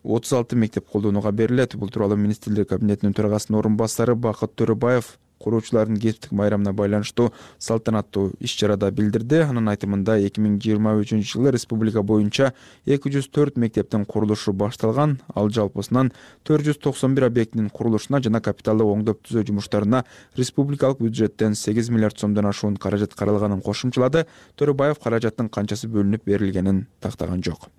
36 мектеп колдонууга берилет. Бул тууралуу министрлер кабинетинин төрагасынын орун басары Бакыт Төрөбаев куруучулардын кесиптик майрамына байланыштуу салтанаттуу иш-чарада билдирди. Анын айтымында 2023-жылы республика боюнча 204 мектептин курулушу башталган. Ал жалпысынан 491 объектинин курулушуна жана капиталдык оңдоп түзөө жумуштарына республикалык бюджеттен 8 миллиард сомдон ашуун каражат каралганын кошумчалады. Төрөбаев каражаттын канчасы бөлүнүп берилгенин тактаган жок.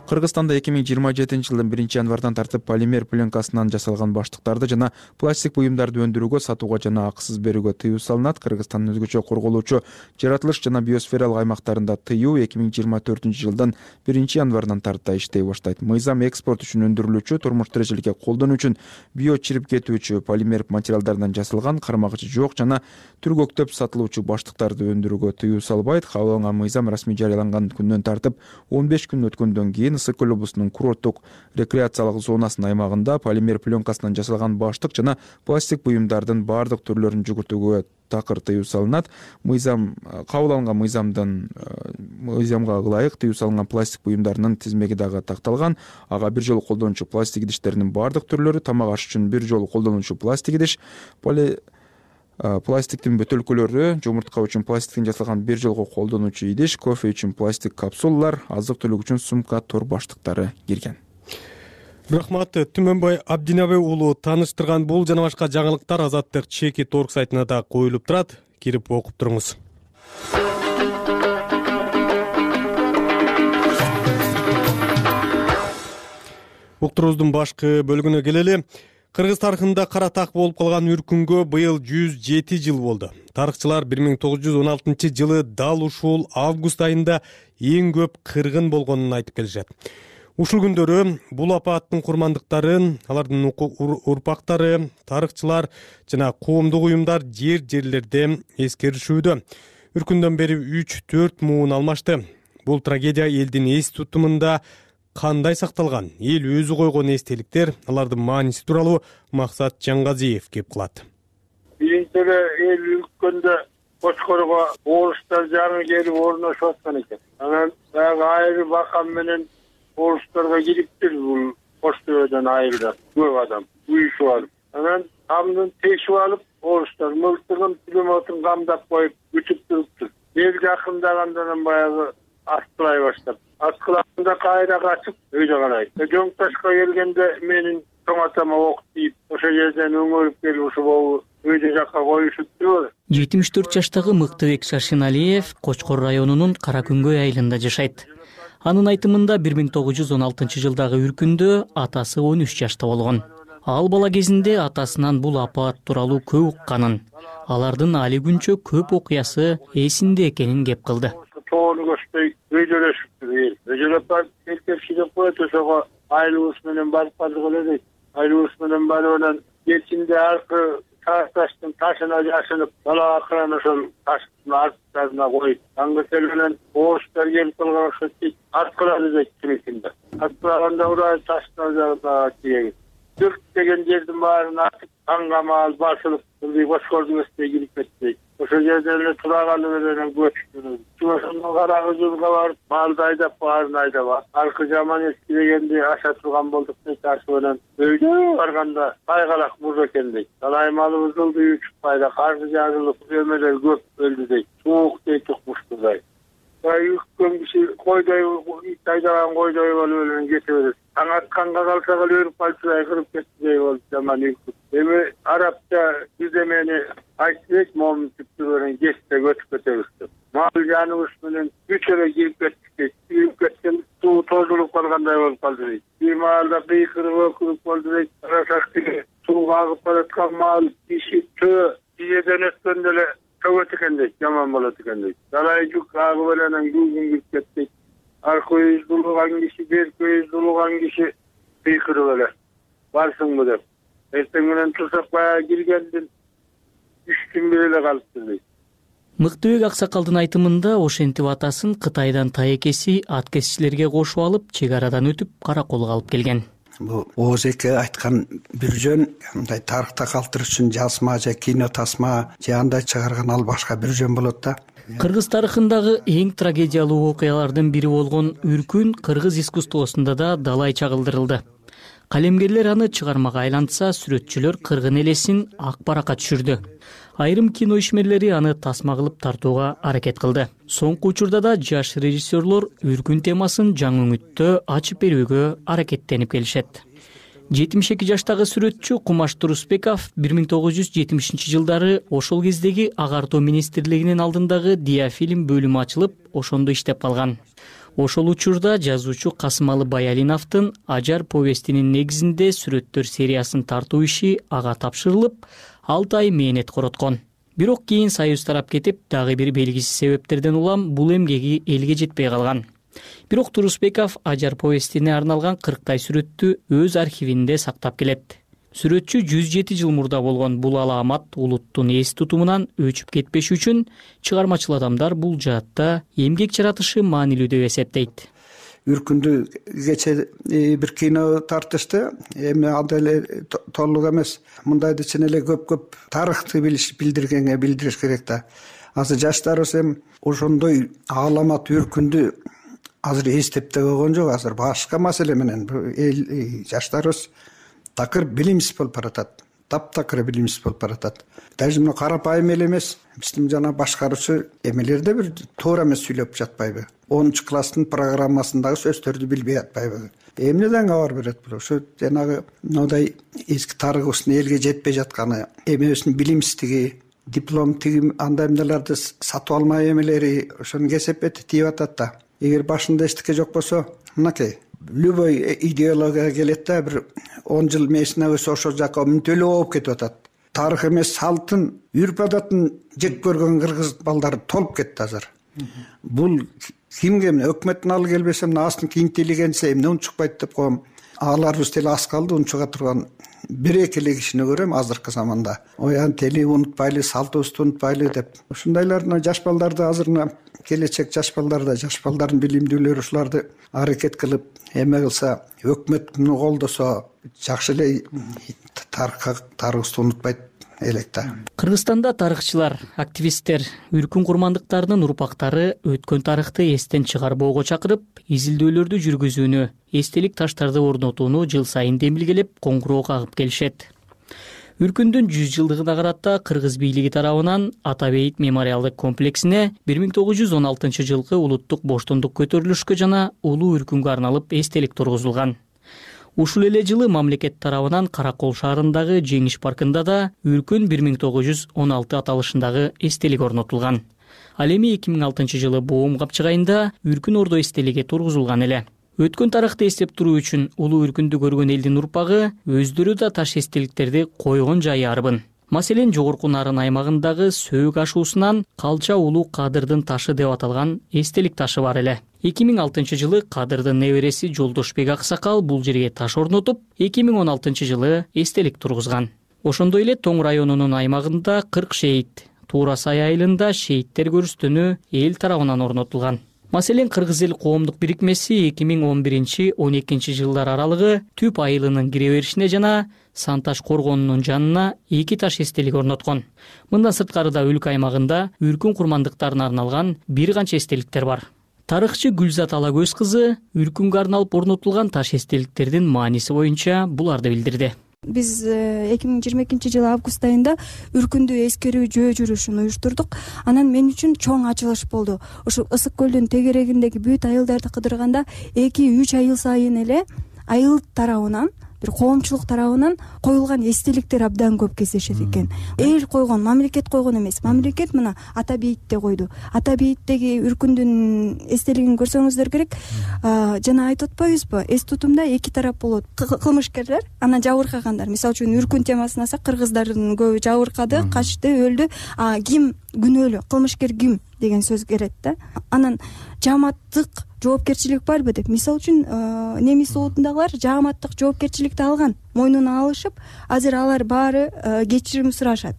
Кыргызстанда 2027-жылдын 1-январдан тартып полимер пленкасынан жасалган баштыктарды жана пластик буюмдарды өндүрүүгө, сатууга жана акысыз берүүгө тыюу салынат. Кыргызстандын өзгөчө корголуучу жаратылыш жана биосфералык аймактарында тыюу 2024-жылдын 1-январынан тарта иштей баштайт. Мыйзам экспорт үчүн өндүрүлүүчү, турмуш тиричиликке колдонуу үчүн био чирип кетүүчү полимер материалдардан жасалган, кармагычы жок жана түргөктөп сатылуучу баштыктарды өндүрүүгө тыюу салбайт. Кабыл алынган мыйзам расмий жарыяланган күндөн тартып 15 күн өткөндөн кийин Ысык көл облусунун курорттук рекреациялык зонасынын аймагында полимер пленкасынан жасалган баштык жана пластик буюмдардын баардык түрлөрүн жүгүртүүгө такыр тыюу салынат. Кабыл алынган мыйзамга ылайык тыюу салынган пластик буюмдарынын тизмеги дагы такталган. Ага бир жолу колдонуучу пластик идиштеринин баардык түрлөрү, тамак аш үчүн бир жолу колдонуучу пластик идиш, пластиктин бөтөлкөлөрү, жумуртка үчүн пластиктен жасалган бир жолго колдонуучу идиш, кофе үчүн пластик капсулалар, азык-түлүк үчүн сумка, тор баштыктары кирген. Рахмат, Түмөнбай Абдинабай уулу тааныштырган бул жана башка жаңылыктар Азаттык чеки торг сайтына да коюлуп турат. Кирип окуп туруңуз. Уктуруубуздун башкы бөлүгүнө келели. Кыргыз тарыхында кара так болуп калган үркүнгө быйыл 107 жыл болду. Тарыхчылар 1916-жылы дал ушул август айында эң көп кыргын болгонун айтып келишет. Ушул күндөрү бул апааттын курмандыктарын, алардын урпактары, тарыхчылар жана коомдук уюмдар жерлерде эскеришүүдө. Үркүндөн бери 3-4 муун алмашты. Бул трагедия элдин эс тутумунда кандай сакталган? Эл өзү койгон эстеликтер, алардын мааниси тууралуу Максат Жаңгазиев кеп кылат. Биринчи эле эл үлкөндө Кочкорго орустар жаңы келип орношуп аткан экен. Анан дагы айры бакам менен орустарга кириптир бул Коштөбөдөн айрылат көп адам уюшуп алып. Анан камдын тешип алып, орустар мылтыгын, пулеметин камдап коюп күтүп туруптур. Эл жакындагандан баягы аткылай баштап. Аткылаганда кайра качып өйдө карайт. Жоң ташка келгенде менин чоң атама ок тийип, ошо жерден өңөрүп келип ушул өйдө жакка коюшупту. 74 жаштагы Мыктыбек Шаршеналиев Кочкор районунун Каракүнгөй айылында жашайт. Анын айтымында 1916-жылдагы үркүндө атасы 13 жашта болгон. Ал бала кезинде атасынан бул апаат тууралуу көп укканын, алардын али күнчө көп окуясы эсинде экенин кеп кылды. Тоону көчпөй өйдөлөшүптүр эл. Өйдөлөп келип коет, ошого айылыбыз менен барып бардык эле дейт. Айылыбыз менен барып анан кечинде аркы таштын ташына жашынып, далага кыран ошол таштын арттарына коюп, аңгытел менен орустар келип калган окшойт дейт. Арткылады дейт кимисинде. Арткылаганда урай таштын жагына тийген. Түрк деген жердин баарын атып, канга маал басылып, Кочкордун үстүнө кирип кетти. Ошол жерден эле тураганы менен көчтү. Ошондон Карагызылга барып, малды айдап, баарын айдап, аркы жаман эски дегенди аша турган болдук дейт. Ашы менен өйдө барганда кайгалак буз экен дейт. Талай малыбыз ылдый учуп кайда, карды жарылып, өмөлөр көп өлдү дейт. Суук дейт укмуштудай. Үккөн киши койдой, ит айдаган койдой болуп эле кете берет. Таң атканга калса өлүп калчудай кырып кетти болуп жаман үйкүп. Эми арабча жүземени айтып, момун түптөрүн кесте көчүп кетебиз деп. Мал жаныбыз менен үч эле кирип кеттик. Кирип кеткен суу тозулуп калгандай болуп калды дейт. Бир маалда кыйкырып өкүнүп болду дейт. Карасак сууга агып бараткан мал, киши төө, тизеден өткөндө эле чөгөт экен дейт, жаман болот экен дейт. Далай жүк агып эле анан күлгүн кирип кетти. Аркы өз дулуган киши, берки өз дулуган киши кыйкырып эле барсыңбы деп. Эртең менен турсак баягы киргендин 3 күн эле калыптыр дейт. Мыктыбек аксакалдын айтымында ошентип атасын Кытайдан таекеси ат кесичилерге кошуп алып, чек арадан өтүп, караколго алып келген. Бул Оозеке айткан бир жөн, мындай тарыхта калтырыш үчүн жазма же кино тасма же андай чыгарган ал башка бир жөн болот да. Кыргыз тарыхындагы эң трагедиялуу окуялардын бири болгон үркүн кыргыз искусствосунда да далай чагылдырылды. Калемгерлер аны чыгармага айлантса, сүрөтчүлөр кыргын элесин ак баракка түшүрдү. Айрым кино ишмерлери аны тасма кылып тартууга аракет кылды. Соңку учурда да жаш режиссерлор үркүн темасын жаңы үңүттө ачып берүүгө аракеттенип келишет. 72 жаштагы сүрөтчү Кумаш Турусбеков 1970 жылдары ошол кездеги агартуу министрлигинин алдындагы диафильм бөлүмү ачылып, ошондо иштеп калган. Ошол учурда жазуучу Касымалы Баялиновдун Ажар повестинин негизинде сүрөттөр сериясын тартуу иши ага тапшырылып, 6 ай мээнет короткон. Бирок кийин Союз тарап кетип, дагы бир белгисиз себептерден улам бул эмгеги элге жетпей калган. Бирок Турусбеков Ажар повестине арналган 40 сүрөттү өз архивинде сактап келет. Сүрөтчү 107 жыл мурда болгон бул алаамат улуттун эс тутумунан өчүп кетпеш үчүн чыгармачыл адамдар бул жаатта эмгек жаратышы маанилүү деп эсептейт. Үркүндү кече бир кино тартышты. Эми андай эле толук эмес. Мындайды чын эле көп тарыхты билдириш керек да. Азыр жаштарыбыз эми ошондой аламат үркүндү азыр эстеп да койгон жок. Азыр башка маселе менен жаштарыбыз такыр билимсиз болуп баратат. Таптакыр билимсиз болуп баратат. Даже мына карапайым эле эмес. Биздин жана башкаруучу эмелерде бир туура эмес сүйлөп жатпайбы? 10 класстын программасындагы сөздөрдү билбей атпайбы? Эмнеден кабар берет бул? Ошо жанагы мындай эски тарыхыбыздын элге жетпей жатканы, эмебиздин билимсиздиги, диплом тиги андай эмнелерди сатып алмай эмелери ошону кесепети тийип атат да. Эгер башында эчтеке жок болсо, мынакей любой идеология келет да, бир 10 жыл месине өсө ошол жака мүнтөлүү болуп кетип атат. Тарых эмес салтын, үрп адатын жек көргөн кыргыз балдары толуп кетти азыр. Бул кимге өкмөттүн алы келбесе, мына астыңкы интеллигенция эмне унчукпайт деп коем. Аларыбыз деле аз калды унчуга турган бир-эки эле кишини көрөм азыркы заманда. Оян тели унутпайлы, салтыбызды унутпайлы деп. Ушундайлар жаш балдарды азыр келечек жаш балдардын билимдүүлөрү ушуларды аракет кылып эме кылса, өкмөт муну колдосо жакшы эле тарыхыбызды унутпайт элек да. Кыргызстанда тарыхчылар, активисттер, үркүн курмандыктарынын урпактары өткөн тарыхты эстен чыгарбоого чакырып, изилдөөлөрдү жүргүзүүнү, эстелик таштарды орнотууну жыл сайын демилгелеп, коңгуроо кагып келишет. Үркүндүн 100 жылдыгына карата кыргыз бийлиги тарабынан Ата Бейит мемориалдык комплексине 1916 жылкы улуттук боштондук көтөрүлүшкө жана улуу үркүнгө арналып эстелик тургузулган. Ушул эле жылы мамлекет тарабынан Каракол шаарындагы Жеңиш паркында да үркүн 1916 аталышындагы эстелик орнотулган. Ал эми 2006 жылы Боом капчыгайында үркүн ордо эстелиги тургузулган эле. Өткөн тарыхты эстеп туруу үчүн улуу үркүндү көргөн элдин урпагы өздөрү да таш эстеликтерди койгон жайы арбын. Маселен, жогорку Нарын аймагындагы Сөөк ашуусунан Калча улуу Кадырдын ташы деп аталган эстелик ташы бар эле. 2006 жылы Кадырдын небереси Жолдошбек Аксакал бул жерге таш орнотуп, 2016 жылы эстелик тургузган. Ошондой эле Тоң районунун аймагында 40 шейит, Туура Сай айылында шейиттер көрүстөнү эл тарабынан орнотулган. Маселен, Кыргыз эл коомдук бирикмеси 2011-12 жылдар аралыгы Түп айылынын кире беришине жана Санташ коргонунун жанына 2 таш эстелик орноткон. Мындан сырткары да өлкө аймагында үркүн курмандыктарына арналган бир канча эстеликтер бар. Тарыхчы Гүлзат Алагөз кызы үркүнгө арналып орнотулган таш эстеликтердин мааниси боюнча буларды билдирди. Биз 2022 жылы август айында үркүндү эскерүү жөө жүрүшүн уюштурдук. Анан мен үчүн чоң ачылыш болду. Ошо Ысык көлдүн тегерегиндеги бүт айылдарды кыдырганда 2-3 айыл сайын эле айыл тарабынан, бир коомчулук тарабынан коюлган эстеликтер абдан көп кездешет экен. Эл койгон, мамлекет койгон эмес. Мамлекет мына Ата Бейитте койду. Ата Бейиттеги үркүндүн эстелигин көрсөңүздөр керек. Жана айтып атпайбызбы? Эс тутумда 2 тарап болот. Кылмышкерлер, анан жабыркагандар. Мисалы үчүн үркүн темасын алсак, кыргыздардын көбү жабыркады, качты, өлдү. Ким күнөөлүү? Кылмышкер ким деген сөз келет да. Анан жааматтык жоопкерчилик барбы деп. Мисалы үчүн Немис улутундагылар жааматтык жоопкерчиликти алган, мойнуна алышып, азыр алар баары кечирим сурашат.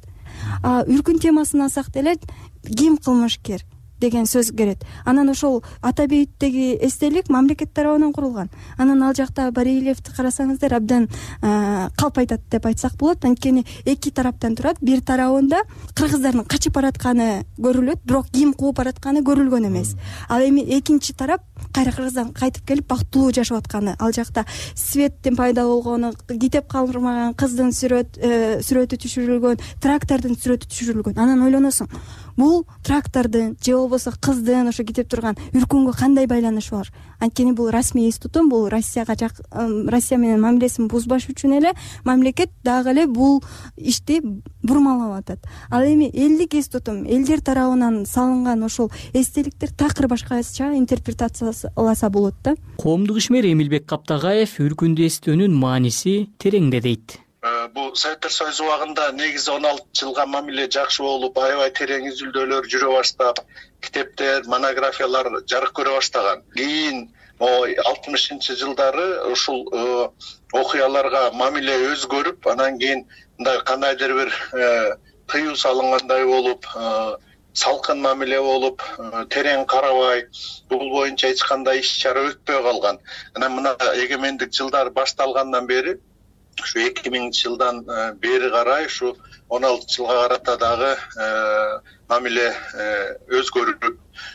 Үркүн темасын алсак деле ким кылмышкер? деген сөз келет. Анан ошол ата бейиттеги эстелик мамлекет тарабынан курулган. Анан ал жакта Барилевди карасаңыздар абдан калп айтат деп айтсак болот. Анткени эки тараптан турат. Бир тарабында кыргыздардын качып баратканы көрүлөт, бирок ким кууп баратканы көрүлгөн эмес. Ал эми экинчи тарап кайра Кыргыздан кайтып келип бактылуу жашап атканы. Ал жакта светтин пайда болгону, китеп калдырмаган кыздын сүрөтү түшүрүлгөн, трактордун сүрөтү түшүрүлгөн. Анан ойлоносуң, бул трактордун же болбосо кыздын ошо кетип турган Үркүнгө кандай байланышы бар? Анткени бул расмий эс тутум, бул Россия менен мамилесин бузбаш үчүн эле мамлекет дагы эле бул ишти бурмалап атат. Ал эми элдик эс тутум, элдер тарабынан салынган ошол эстеликтер такыр башкача интерпретацияласа болот да. Коомдук ишмер Эмилбек Каптагаев Үркүндү эстөөнүн мааниси тереңде дейт. Бул Советтер Союзу убагында негизи 16 жылга мамиле жакшы болуп, аябай терең изилдөөлөр жүрө баштап, китептер, монографиялар жарык көрө баштаган. Кийин 60-жылдары ушул окуяларга мамиле өзгөрүп, анан кийин мындай кандайдыр бир тыюу салынгандай болуп, салкын мамиле болуп, терең карабай, бул боюнча эч кандай иш чара өтпөй калган. Анан мына эгемендик жылдар башталгандан бери ушу 2000-жылдан бери карай ушу 16 жылга карата дагы мамиле өзгөрүп,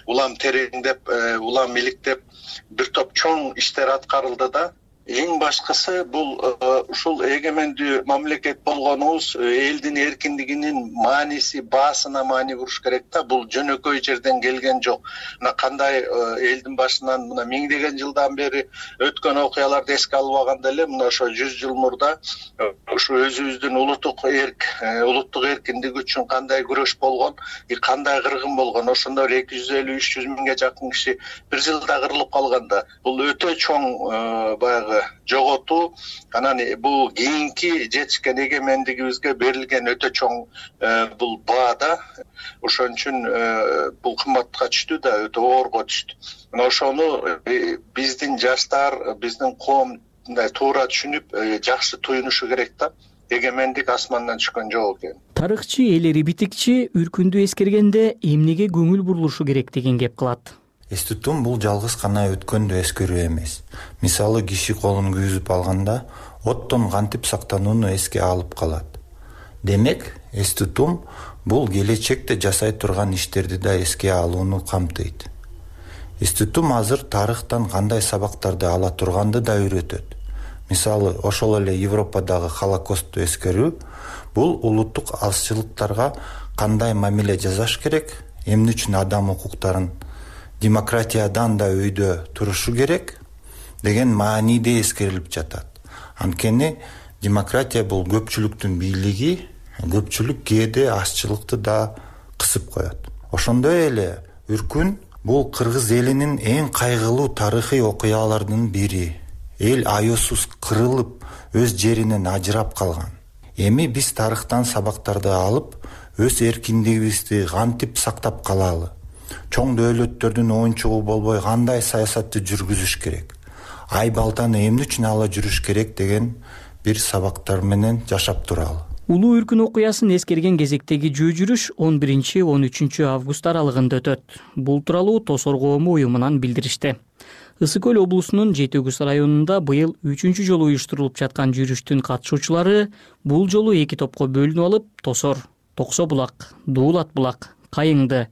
улам тереңдеп, улам иликтеп бир топ чоң иштер аткарылды да. Эң башкысы бул ушул эгемендүү мамлекет болгонубуз элдин эркиндигинин мааниси, баасына маани буруш керек да. Бул жөнөкөй жерден келген жок. Мына кандай элдин башынан мына миңдеген жылдан бери өткөн окуяларды эске албаганда эле мына ошо 100 жыл мурда ушу өзүбүздүн улуттук эркиндик үчүн кандай күрөш болгон, кандай кыргын болгон. Ошондо 250-300 миңге жакын киши бир жылда кырылып калганда бул өтө чоң баягы жоготуу. Анан бул кийинки жетишкен эгемендигибизге берилген өтө чоң бул баа да. Ошон үчүн бул кымбатка түштү да, өтө оорго түштү. Мына ошону биздин жаштар, биздин коом мындай туура түшүнүп, жакшы туюнушу керек да. Эгемендик асмандан түшкөн жок экен. Тарыхчы Элери Битикчи Үркүндү эскергенде эмнеге көңүл бурулушу керек деген кеп кылат. Эс тутум бул жалгыз гана өткөндү эскерүү эмес. Мисалы киши колун күйүзүп алганда оттон кантип сактанууну эске алып калат. Демек, эс тутум бул келечекте жасай турган иштерди да эске алууну камтыйт. Эс тутум азыр тарыхтан кандай сабактарды ала турганды да үйрөтөт. Мисалы, ошол эле Европадагы Холокосту эскерүү бул улуттук азчылыктарга кандай мамиле жасаш керек, эмне үчүн адам укуктарын демократиядан да өйдө турушу керек деген мааниде эскерилип жатат. Анткени демократия бул көпчүлүктүн бийлиги, көпчүлүк кээде азчылыкты да кысып коет. Ошондой эле Үркүн бул кыргыз элинин эң кайгылуу тарыхый окуяларынын бири. Эл аюусуз кырылып, өз жеринен ажырап калган. Эми биз тарыхтан сабактарды алып, өз эркиндигибизди кантип сактап калалы? Чоң дөөлөттөрдүн оюнчугу болбой кандай саясатты жүргүзүш керек? Ай балтаны эмне үчүн ала жүрүш керек деген бир сабактар менен жашап туралы. Улуу Үркүн окуясын эскерген кезектеги жөө жүрүш 11-13 август аралыгында өтөт. Бул тууралуу Тосор коому уюмунан билдиришти. Ысык Көл облусунун Жети Үгүз районунда быйыл 3-чү жолу уюштурулуп жаткан жүрүштүн катышуучулары бул жолу 2 топко бөлүнүп алып, Тосор, Токсо булак, Дуулат булак, Кайыңды,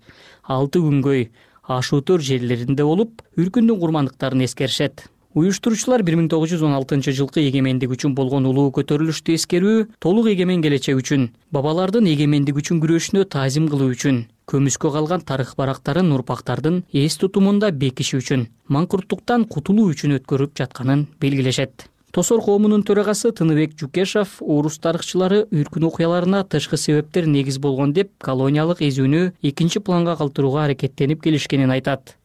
Алты Күнгөй, Ашуутөр жерлеринде болуп, Үркүндүн курмандыктарын эскеришет. Уюштуруучулар 1916 жылкы эгемендик үчүн болгон улуу көтөрүлүштү эскерүү, толук эгемен келечек үчүн, бабалардын эгемендик үчүн күрөшүнө таазим кылуу үчүн, көмүскө калган тарых барактарын урпактардын эс тутумунда бекиши үчүн, маңкурттуктан кутулуу үчүн өткөрүп жатканын белгилешет. Тосор коомунун төрагасы Тыныбек Жукешов орус тарыхчылары Үркүн окуяларына тышкы себептер негиз болгон деп колониялык эзүүнү экинчи планга калтырууга аракеттенип келишкенин айтат.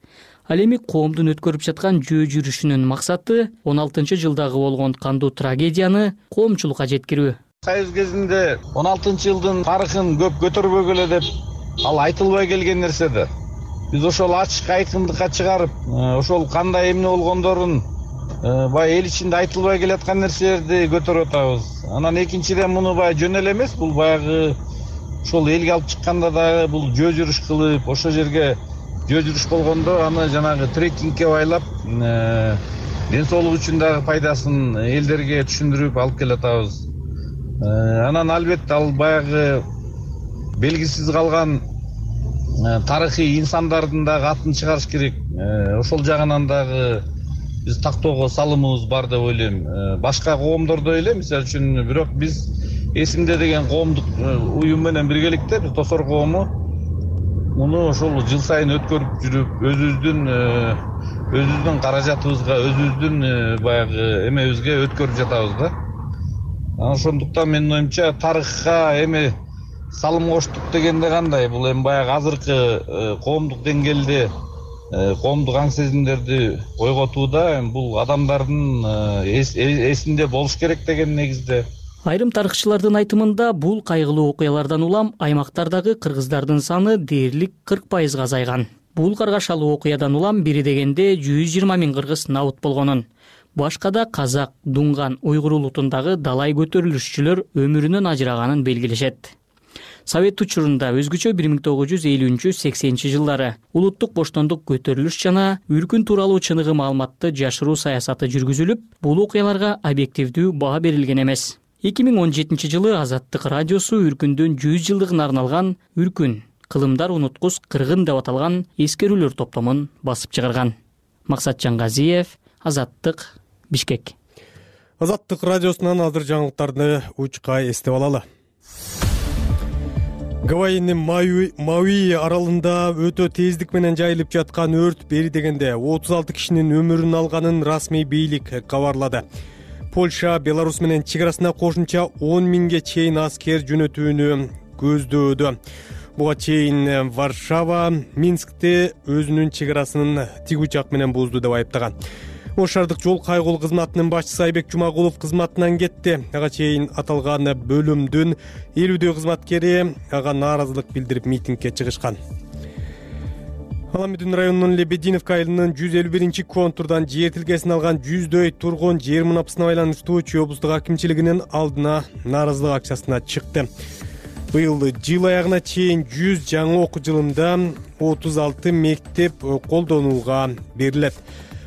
Ал эми коомдун өткөрүп жаткан жөө жүрүшүнүн максаты 16-жылдагы болгон кандуу трагедияны коомчулукка жеткирүү. Союз кезинде 16-жылдын тарыхын көп көтөрбөгө эле деп ал айтылбай келген нерседи. Биз ошол ачык айкындыкка чыгарып, ошол кандай эмне болгондорун бай эл ичинде айтылбай келаткан нерселерди көтөрүп атабыз. Анан экинчиден муну бай жөн эле эмес, бул баягы ошол элге алып чыкканда дагы бул жөө жүрүш кылып, ошол жерге жөө жүрүш болгондо аны жанагы трекингке байлап ден соолук үчүн дагы пайдасын элдерге түшүндүрүп алып келатабыз. Анан албетте ал баягы белгисиз калган тарыхый инсандардын дагы атын чыгарыш керек. Ошол жагынан дагы биз тактоого салымыбыз бар деп ойлойм. Башка коомдордо эле, мисалы үчүн, бирок биз эсимде деген коомдук уюм менен биргеликте, биз Тосор коому муну ошол жыл сайын өткөрүп жүрүп, өзүбүздүн каражатыбызга, өзүбүздүн баягы эмебизге өткөрүп жатабыз да. Ошондуктан менин оюмча тарыхка эми салым коштук дегенде кандай? Бул эми баягы азыркы коомдук деңгээлде коомдук аң сезимдерди ойготууда бул адамдардын эсинде болуш керек деген негизде. Айрым тарыхчылардын айтымында бул кайгылуу окуялардан улам аймактардагы кыргыздардын саны дээрлик 40% азайган. Бул каргашалуу окуядан улам бири дегенде 120 000 кыргыз набыт болгонун. Башкада казак, дунган, уйгур улутундагы далай көтөрүлүшчүлөр өмүрүнөн ажыраганын белгилешет. Совет учурунда өзгөчө 1950-80 жылдары улуттук боштондук көтөрүлүш жана үркүн тууралуу чыныгы маалыматты жашыруу саясаты жүргүзүлүп, бул окуяларга объективдүү баа берилген эмес. 2017 жылы Азаттык радиосу үркүндүн 100 жылдыгына арналган «Үркүн, кылымдар унуткус кыргын» деп аталган эскерүүлөр топтомун басып чыгарган. Максат Жангазиев, Азаттык, Бишкек. Азаттык радиосунан азыр жаңылыктарды учка эстеп алалы. Гавайинин Мауи аралында өтө тездик менен жайылып жаткан өрт бери дегенде 36 кишинин өмүрүн алганын расмий бийлик кабарлады. Польша Беларусь менен чегарасына кошумча 10 000ге чейин аскер жөнөтүүнү көздөөдө. Буга чейин Варшава Минскте өзүнүн чегарасын тигучак менен бузду деп айыптаган. Ош шаардык жол кайгыл кызматынын башчысы Айбек Жумагулов кызматынан кетти. Ага чейин аталган бөлүмдүн 50 кызматкери ага нааразылык билдирип митингге чыгышкан. Аламедин районунун Лебединовка айылынын 151-контурдан жер тилкесин алган 100дөй тургун жер мунапасына байланыштуу Чүй облустук акимчилигинин алдына нааразылык акчасына чыкты. Быйыл жыл аягына чейин 100 жаңы окуу жылында 36 мектеп колдонууга берилет.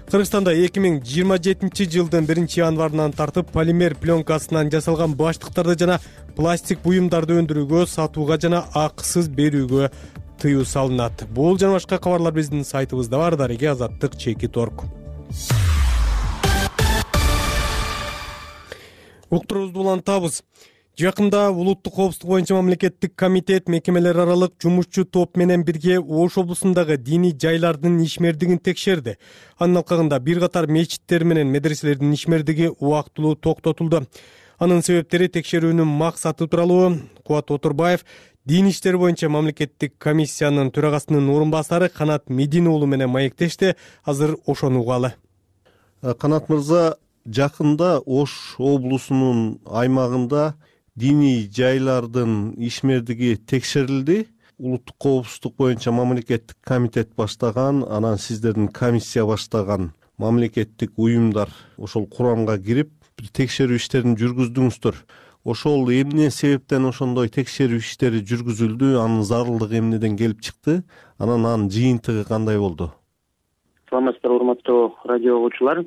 Кыргызстанда 2027 жылдын 1-январынан тартып полимер пленкасынан жасалган баштыктарды жана пластик буюмдарды өндүрүүгө, сатууга жана акысыз берүүгө тыюу салынат. Бул жана башка кабарлар биздин сайтыбызда бар. Дареге Азаттык.org. Уктуруубузду улантабыз. Жакында улуттук коопсуздук боюнча мамлекеттик комитет мекемелер аралык жумушчу топ менен бирге Ош облусундагы диний жайлардын ишмердигин текшерди. Анын алкагында бир катар мечиттер менен медреселердин ишмердиги убактылуу токтотулду. Анын себептери текшерүүнүн максаты тууралуу Кубат Отурбаев Дин иштери боюнча мамлекеттик комиссиянын төрагасынын орун басары Канат Медин уулу менен маектешти. Азыр ошону угалы. Канат мырза, жакында Ош облусунун аймагында диний жайлардын ишмердиги текшерилди. Улуттук коопсуздук боюнча мамлекеттик комитет баштаган, анан сиздердин комиссия баштаган мамлекеттик уюмдар ошол курамга кирип текшерүү иштерин жүргүздүңүздөр. Ошол эмне себептен ошондой текшерүү иштери жүргүзүлдү, анын зарылдыгы эмнеден келип чыкты, анын жыйынтыгы кандай болду? Саламатсыздар, урматтуу радио угуучулар.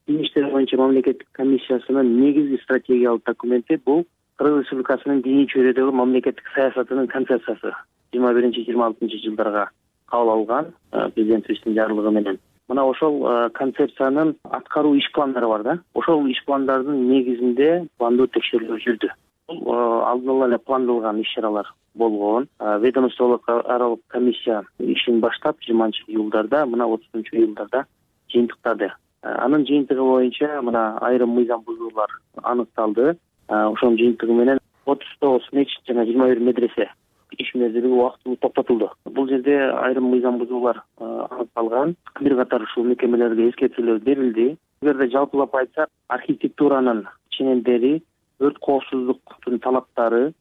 Дин иштери боюнча мамлекеттик комиссиясынын негизги стратегиялык документи бул Кыргыз Республикасынын диний чөйрөдөгү мамлекеттик саясатынын концепциясы 21-26 жылдарга кабыл алган президентибиздин жарлыгы менен. Мына ошол концепциянын аткаруу иш пландары бар да. Ошол иш пландардын негизинде пландуу текшерүүлөр жүрдү. Бул алдын ала эле пландалган иш-чаралар болгон. Ведомстволук аралык комиссия ишин баштап 20-июлдарда, мына 30-июлдарда жыйынтыктады. Анын жыйынтыгы боюнча мына айрым мыйзам бузуулар аныкталды. Ошонун жыйынтыгы менен 39 мечит жана 21 медресе ишмердиги убактылуу токтотулду. Бул жерде айрым мыйзам бузуулар аныкталган. Бир катар ушул мекемелерге эскертүүлөр берилди. Эгерде жалпылап айтсак, архитектуранын ченемдери, өрт коопсуздуктун талаптары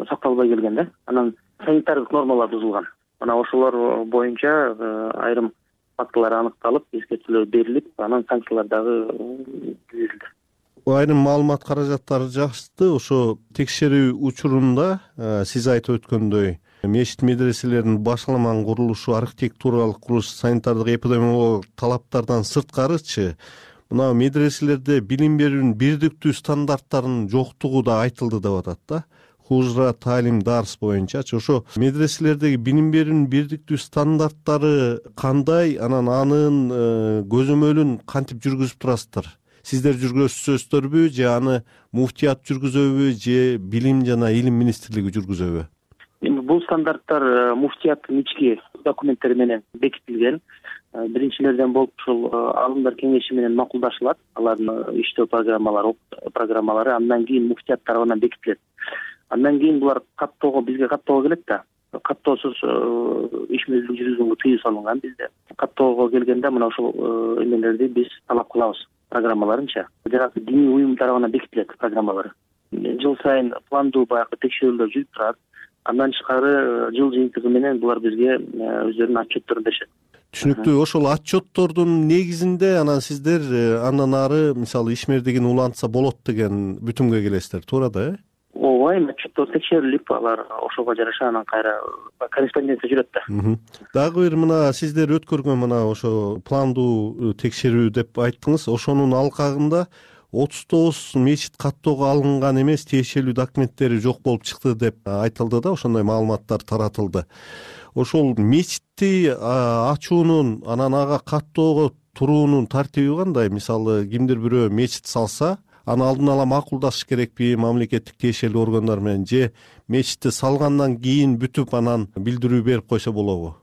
сакталбай келген да. Анан санитардык нормалар бузулган. Мына ошолор боюнча айрым фактылар аныкталып, эскертүүлөр берилип, анан санкциялар дагы жүргүзүлдү. Айрым маалымат каражаттары жашты. Ошо текшерүү учурунда сиз айтып өткөндөй мечит медреселердин башаламан курулушу, архитектуралык курулуш, санитардык эпидемиологиялык талаптардан сырткарычы мына медреселерде билим берүүнүн бирдиктүү стандарттарынын жоктугу да айтылды деп атат да. Хужра, таалим, дарс боюнчачы ошо медреселердеги билим берүүнүн бирдиктүү стандарттары кандай, анан анын көзөмөлүн кантип жүргүзүп турасыздар? Сиздер жүргүзөсүздөрбү же аны муфтият жүргүзөбү же билим жана илим министрлиги жүргүзөбү? Эми бул стандарттар муфтияттын ички документтери менен бекитилген. Биринчилерден болуп ушул алымдар кеңеши менен макулдашылат. Алардын иштөө программалары андан кийин муфтият тарабынан бекитилет. Андан кийин булар бизге каттоого келет да. Каттоосуз иш мезгилин жүргүзгөнгө тыюу салынган бизде. Каттоого келгенде мына ушул эмелерди биз талап кылабыз, программаларынча. Жанагы диний уюм тарабынан бекитилет программалары. Жыл сайын пландуу баягы текшерүүлөр жүрүп турат. Андан тышкары жыл жыйынтыгы менен булар бизге өздөрүнүн отчетторун беришет. Түшүнүктүү. Ошол отчеттордун негизинде анан сиздер андан ары мисалы ишмердигин улантса болот деген бүтүмгө келесиздер, туура да, э? Ооба, эми отчеттор текшерилип, алар ошого жараша анан кайра корреспонденция жүрөт да. Дагы бир мына сиздер өткөргөн мына ошо пландуу текшерүү деп айттыңыз. Ошонун алкагында 39 мечит каттоого алынган эмес, тиешелүү документтери жок болуп чыкты деп айтылды да, ошондой маалыматтар таратылды. Ошол мечитти ачуунун, анан ага каттоого туруунун тартиби кандай? Мисалы, кимдир бирөө мечит салса, аны алдын ала макулдашыш керекпи мамлекеттик тиешелүү органдар менен, же мечитти салгандан кийин бүтүп анан билдирүү берип койсо болобу?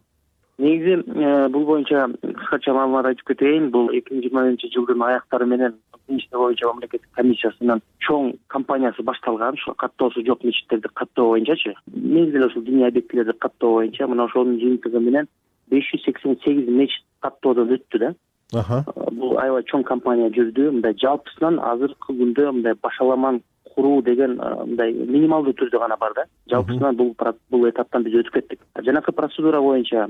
Негизи бул боюнча кыскача маалымат айтып кетейин. Бул 2020-жылдын аяктары менен иште боюнча мамлекеттик комиссиясынын чоң кампаниясы башталган. Ошо каттоосу жок мечиттерди каттоо боюнчачы. Негизи ошол диний объектилерди каттоо боюнча мына ошонун жыйынтыгы менен 588 мечит каттоодон өттү да. Бул аябай чоң кампания жүрдү. Мындай жалпысынан азыркы күндө мындай башаламан куруу деген мындай минималдуу түрдө гана бар да. Жалпысынан бул этаптан биз өтүп кеттик. Жанакы процедура боюнча,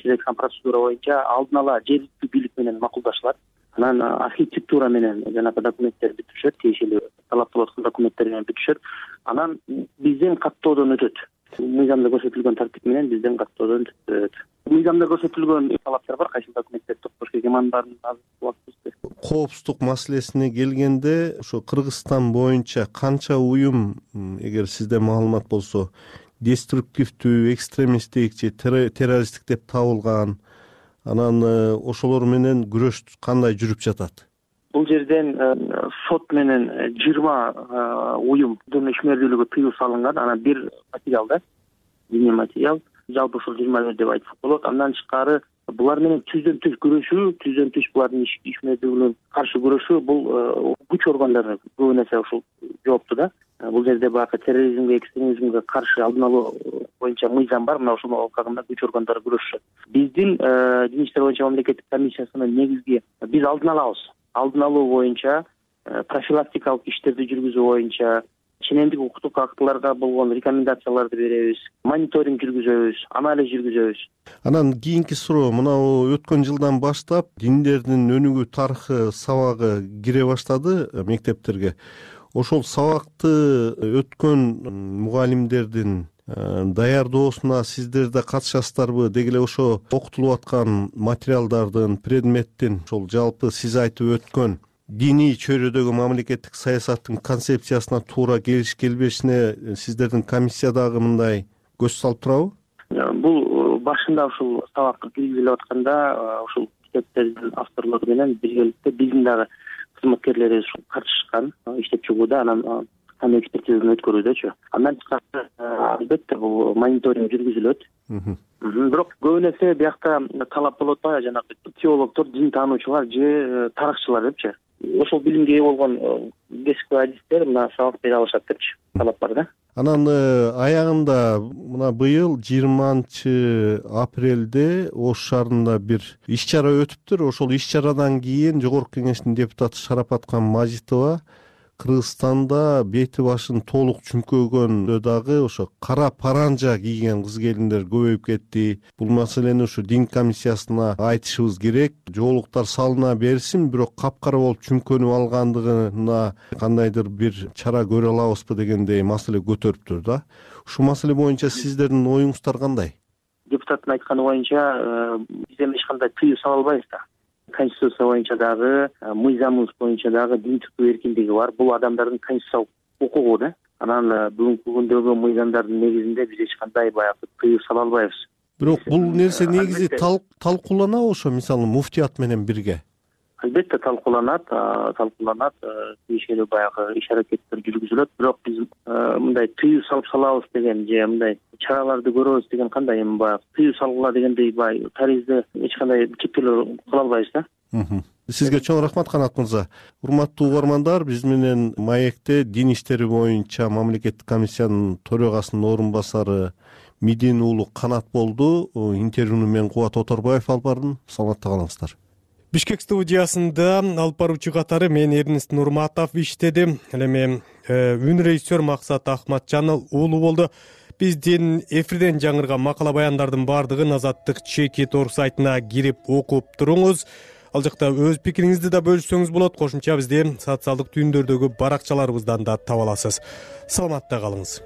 сиз айткан процедура боюнча алдын ала жергиликтүү бийлик менен макулдашылат. Анан архитектура менен жанакы документтер бүтүшөт, тиешелүү талап кылып аткан документтер менен бүтүшөт. Анан бизден каттоодон өтөт. Мыйзамда көрсөтүлгөн тартип менен бизден каттоодон өтөт. Мыйзамда көрсөтүлгөн талаптар бар, кайсы документтерди токтош керек, анын баарын азыр убактыбызды. Коопсуздук маселесине келгенде, ошо Кыргызстан боюнча канча уюм, эгер сизде маалымат болсо, деструктивдүү, экстремисттик же террористтик деп табылган, анан ошолор менен күрөш кандай жүрүп жатат? Бул жерден сот менен 20 уюмдун ишмердүүлүгү тыюу салынган. Анан бир материал да, диний материал, жалпы ушул 20 деп айтсак болот. Андан тышкары булар менен түздөн түз булардын ишмердүүлүгүнө каршы күрөшүү, бул күч органдары көбүн эсе ушул жоопту да. Бул жерде баягы терроризмге, экстремизмге каршы алдын алуу боюнча мыйзам бар, мына ошонун алкагында күч органдары күрөшүшөт. Биздин дин иштери боюнча мамлекеттик комиссиясынын негизги биз алдын алабыз. Алдын алуу боюнча, профилактикалык иштерди жүргүзүү боюнча, ченемдик укуктук актыларга болгон рекомендацияларды беребиз, мониторинг жүргүзөбүз, анализ жүргүзөбүз. Анан кийинки суроо, мына өткөн жылдан баштап диндердин өнүгүү тарыхы сабагы кире баштады мектептерге. Ошол сабакты өткөн мугалимдердин даярдоосуна сиздер да катышасыздарбы? Деги эле ошо окутулуп аткан материалдардын, предметтин, ошол жалпы сиз айтып өткөн диний чөйрөдөгү мамлекеттик саясаттын концепциясына туура келиш келбешине сиздердин комиссия дагы мындай көз салып турабы? Бул башында ушул сабакка киргизилип атканда ушул китептердин авторлору менен биргеликте биздин дагы кызматкерлерибиз катышкан иштеп чыгууда, анан экспертизаны өткөрүүдөчү. Андан тышкары албетте бул мониторинг жүргүзүлөт. Бирок көбүн эсе биякта талап болот да, жанагы теологдор, дин таануучулар же тарыхчылар депчи. Ошол билимге ээ болгон кесипкөй адистер мына сабак бере алышат депчи талап бар да. Анан аягында мына быйыл 20-апрелде Ош шаарында бир иш-чара өтүптүр. Ошол иш-чарадан кийин Жогорку Кеңештин депутаты Шарапаткан Мажитова Кыргызстанда бети башын толук чүмкөгөндө дагы ошо кара паранжа кийген кыз келиндер көбөйүп кетти. Бул маселени ушу дин комиссиясына айтышыбыз керек. Жоолуктар салына берсин, бирок капкара болуп чүмкөнүп алгандыгына кандайдыр бир чара көрө алабызбы дегендей маселе көтөрүптүр да. Ушул маселе боюнча сиздердин оюңуздар кандай? Депутаттын айтканы боюнча биз эми эч кандай тыюу сала албайбыз да. Конституция боюнча дагы, мыйзамыбыз боюнча дагы дин тутуу эркиндиги бар. Бул адамдардын конституциялык укугу да. Анан бүгүнкү күндөгү мыйзамдардын негизинде биз эч кандай баягы тыюу сала албайбыз. Бирок бул нерсе негизи талкууланабы ошо, мисалы муфтият менен бирге? Албетте талкууланат, тиешелүү баягы иш-аракеттер жүргүзүлөт. Бирок биз мындай тыюу салып салабыз деген же мындай чараларды көрөбүз деген кандай эми баягы тыюу салгыла дегендей баягы таризде эч кандай чектөөлөр кыла албайбыз да. Сизге чоң рахмат, Канат мырза. Урматтуу угармандар, биз менен маекте дин иштери боюнча мамлекеттик комиссиянын төрагасынын орун басары Мидин уулу Канат болду. Интервьюну мен Кубат Оторбаев алып бардым. Саламатта калыңыздар. Бишкек студиясында алып баруучу катары мен Эрнест Нурматов иштедим. Ал эми үн режиссер Максат Ахматжанов уулу болду. Биздин эфирден жаңырган макала баяндардын баардыгын Азаттык Чеки Тор сайтына кирип окуп туруңуз. Ал жакта өз пикириңизди да бөлүшсөңүз болот. Кошумча бизди социалдык түйүндөрдөгү баракчаларыбыздан да таба аласыз. Саламатта калыңыз.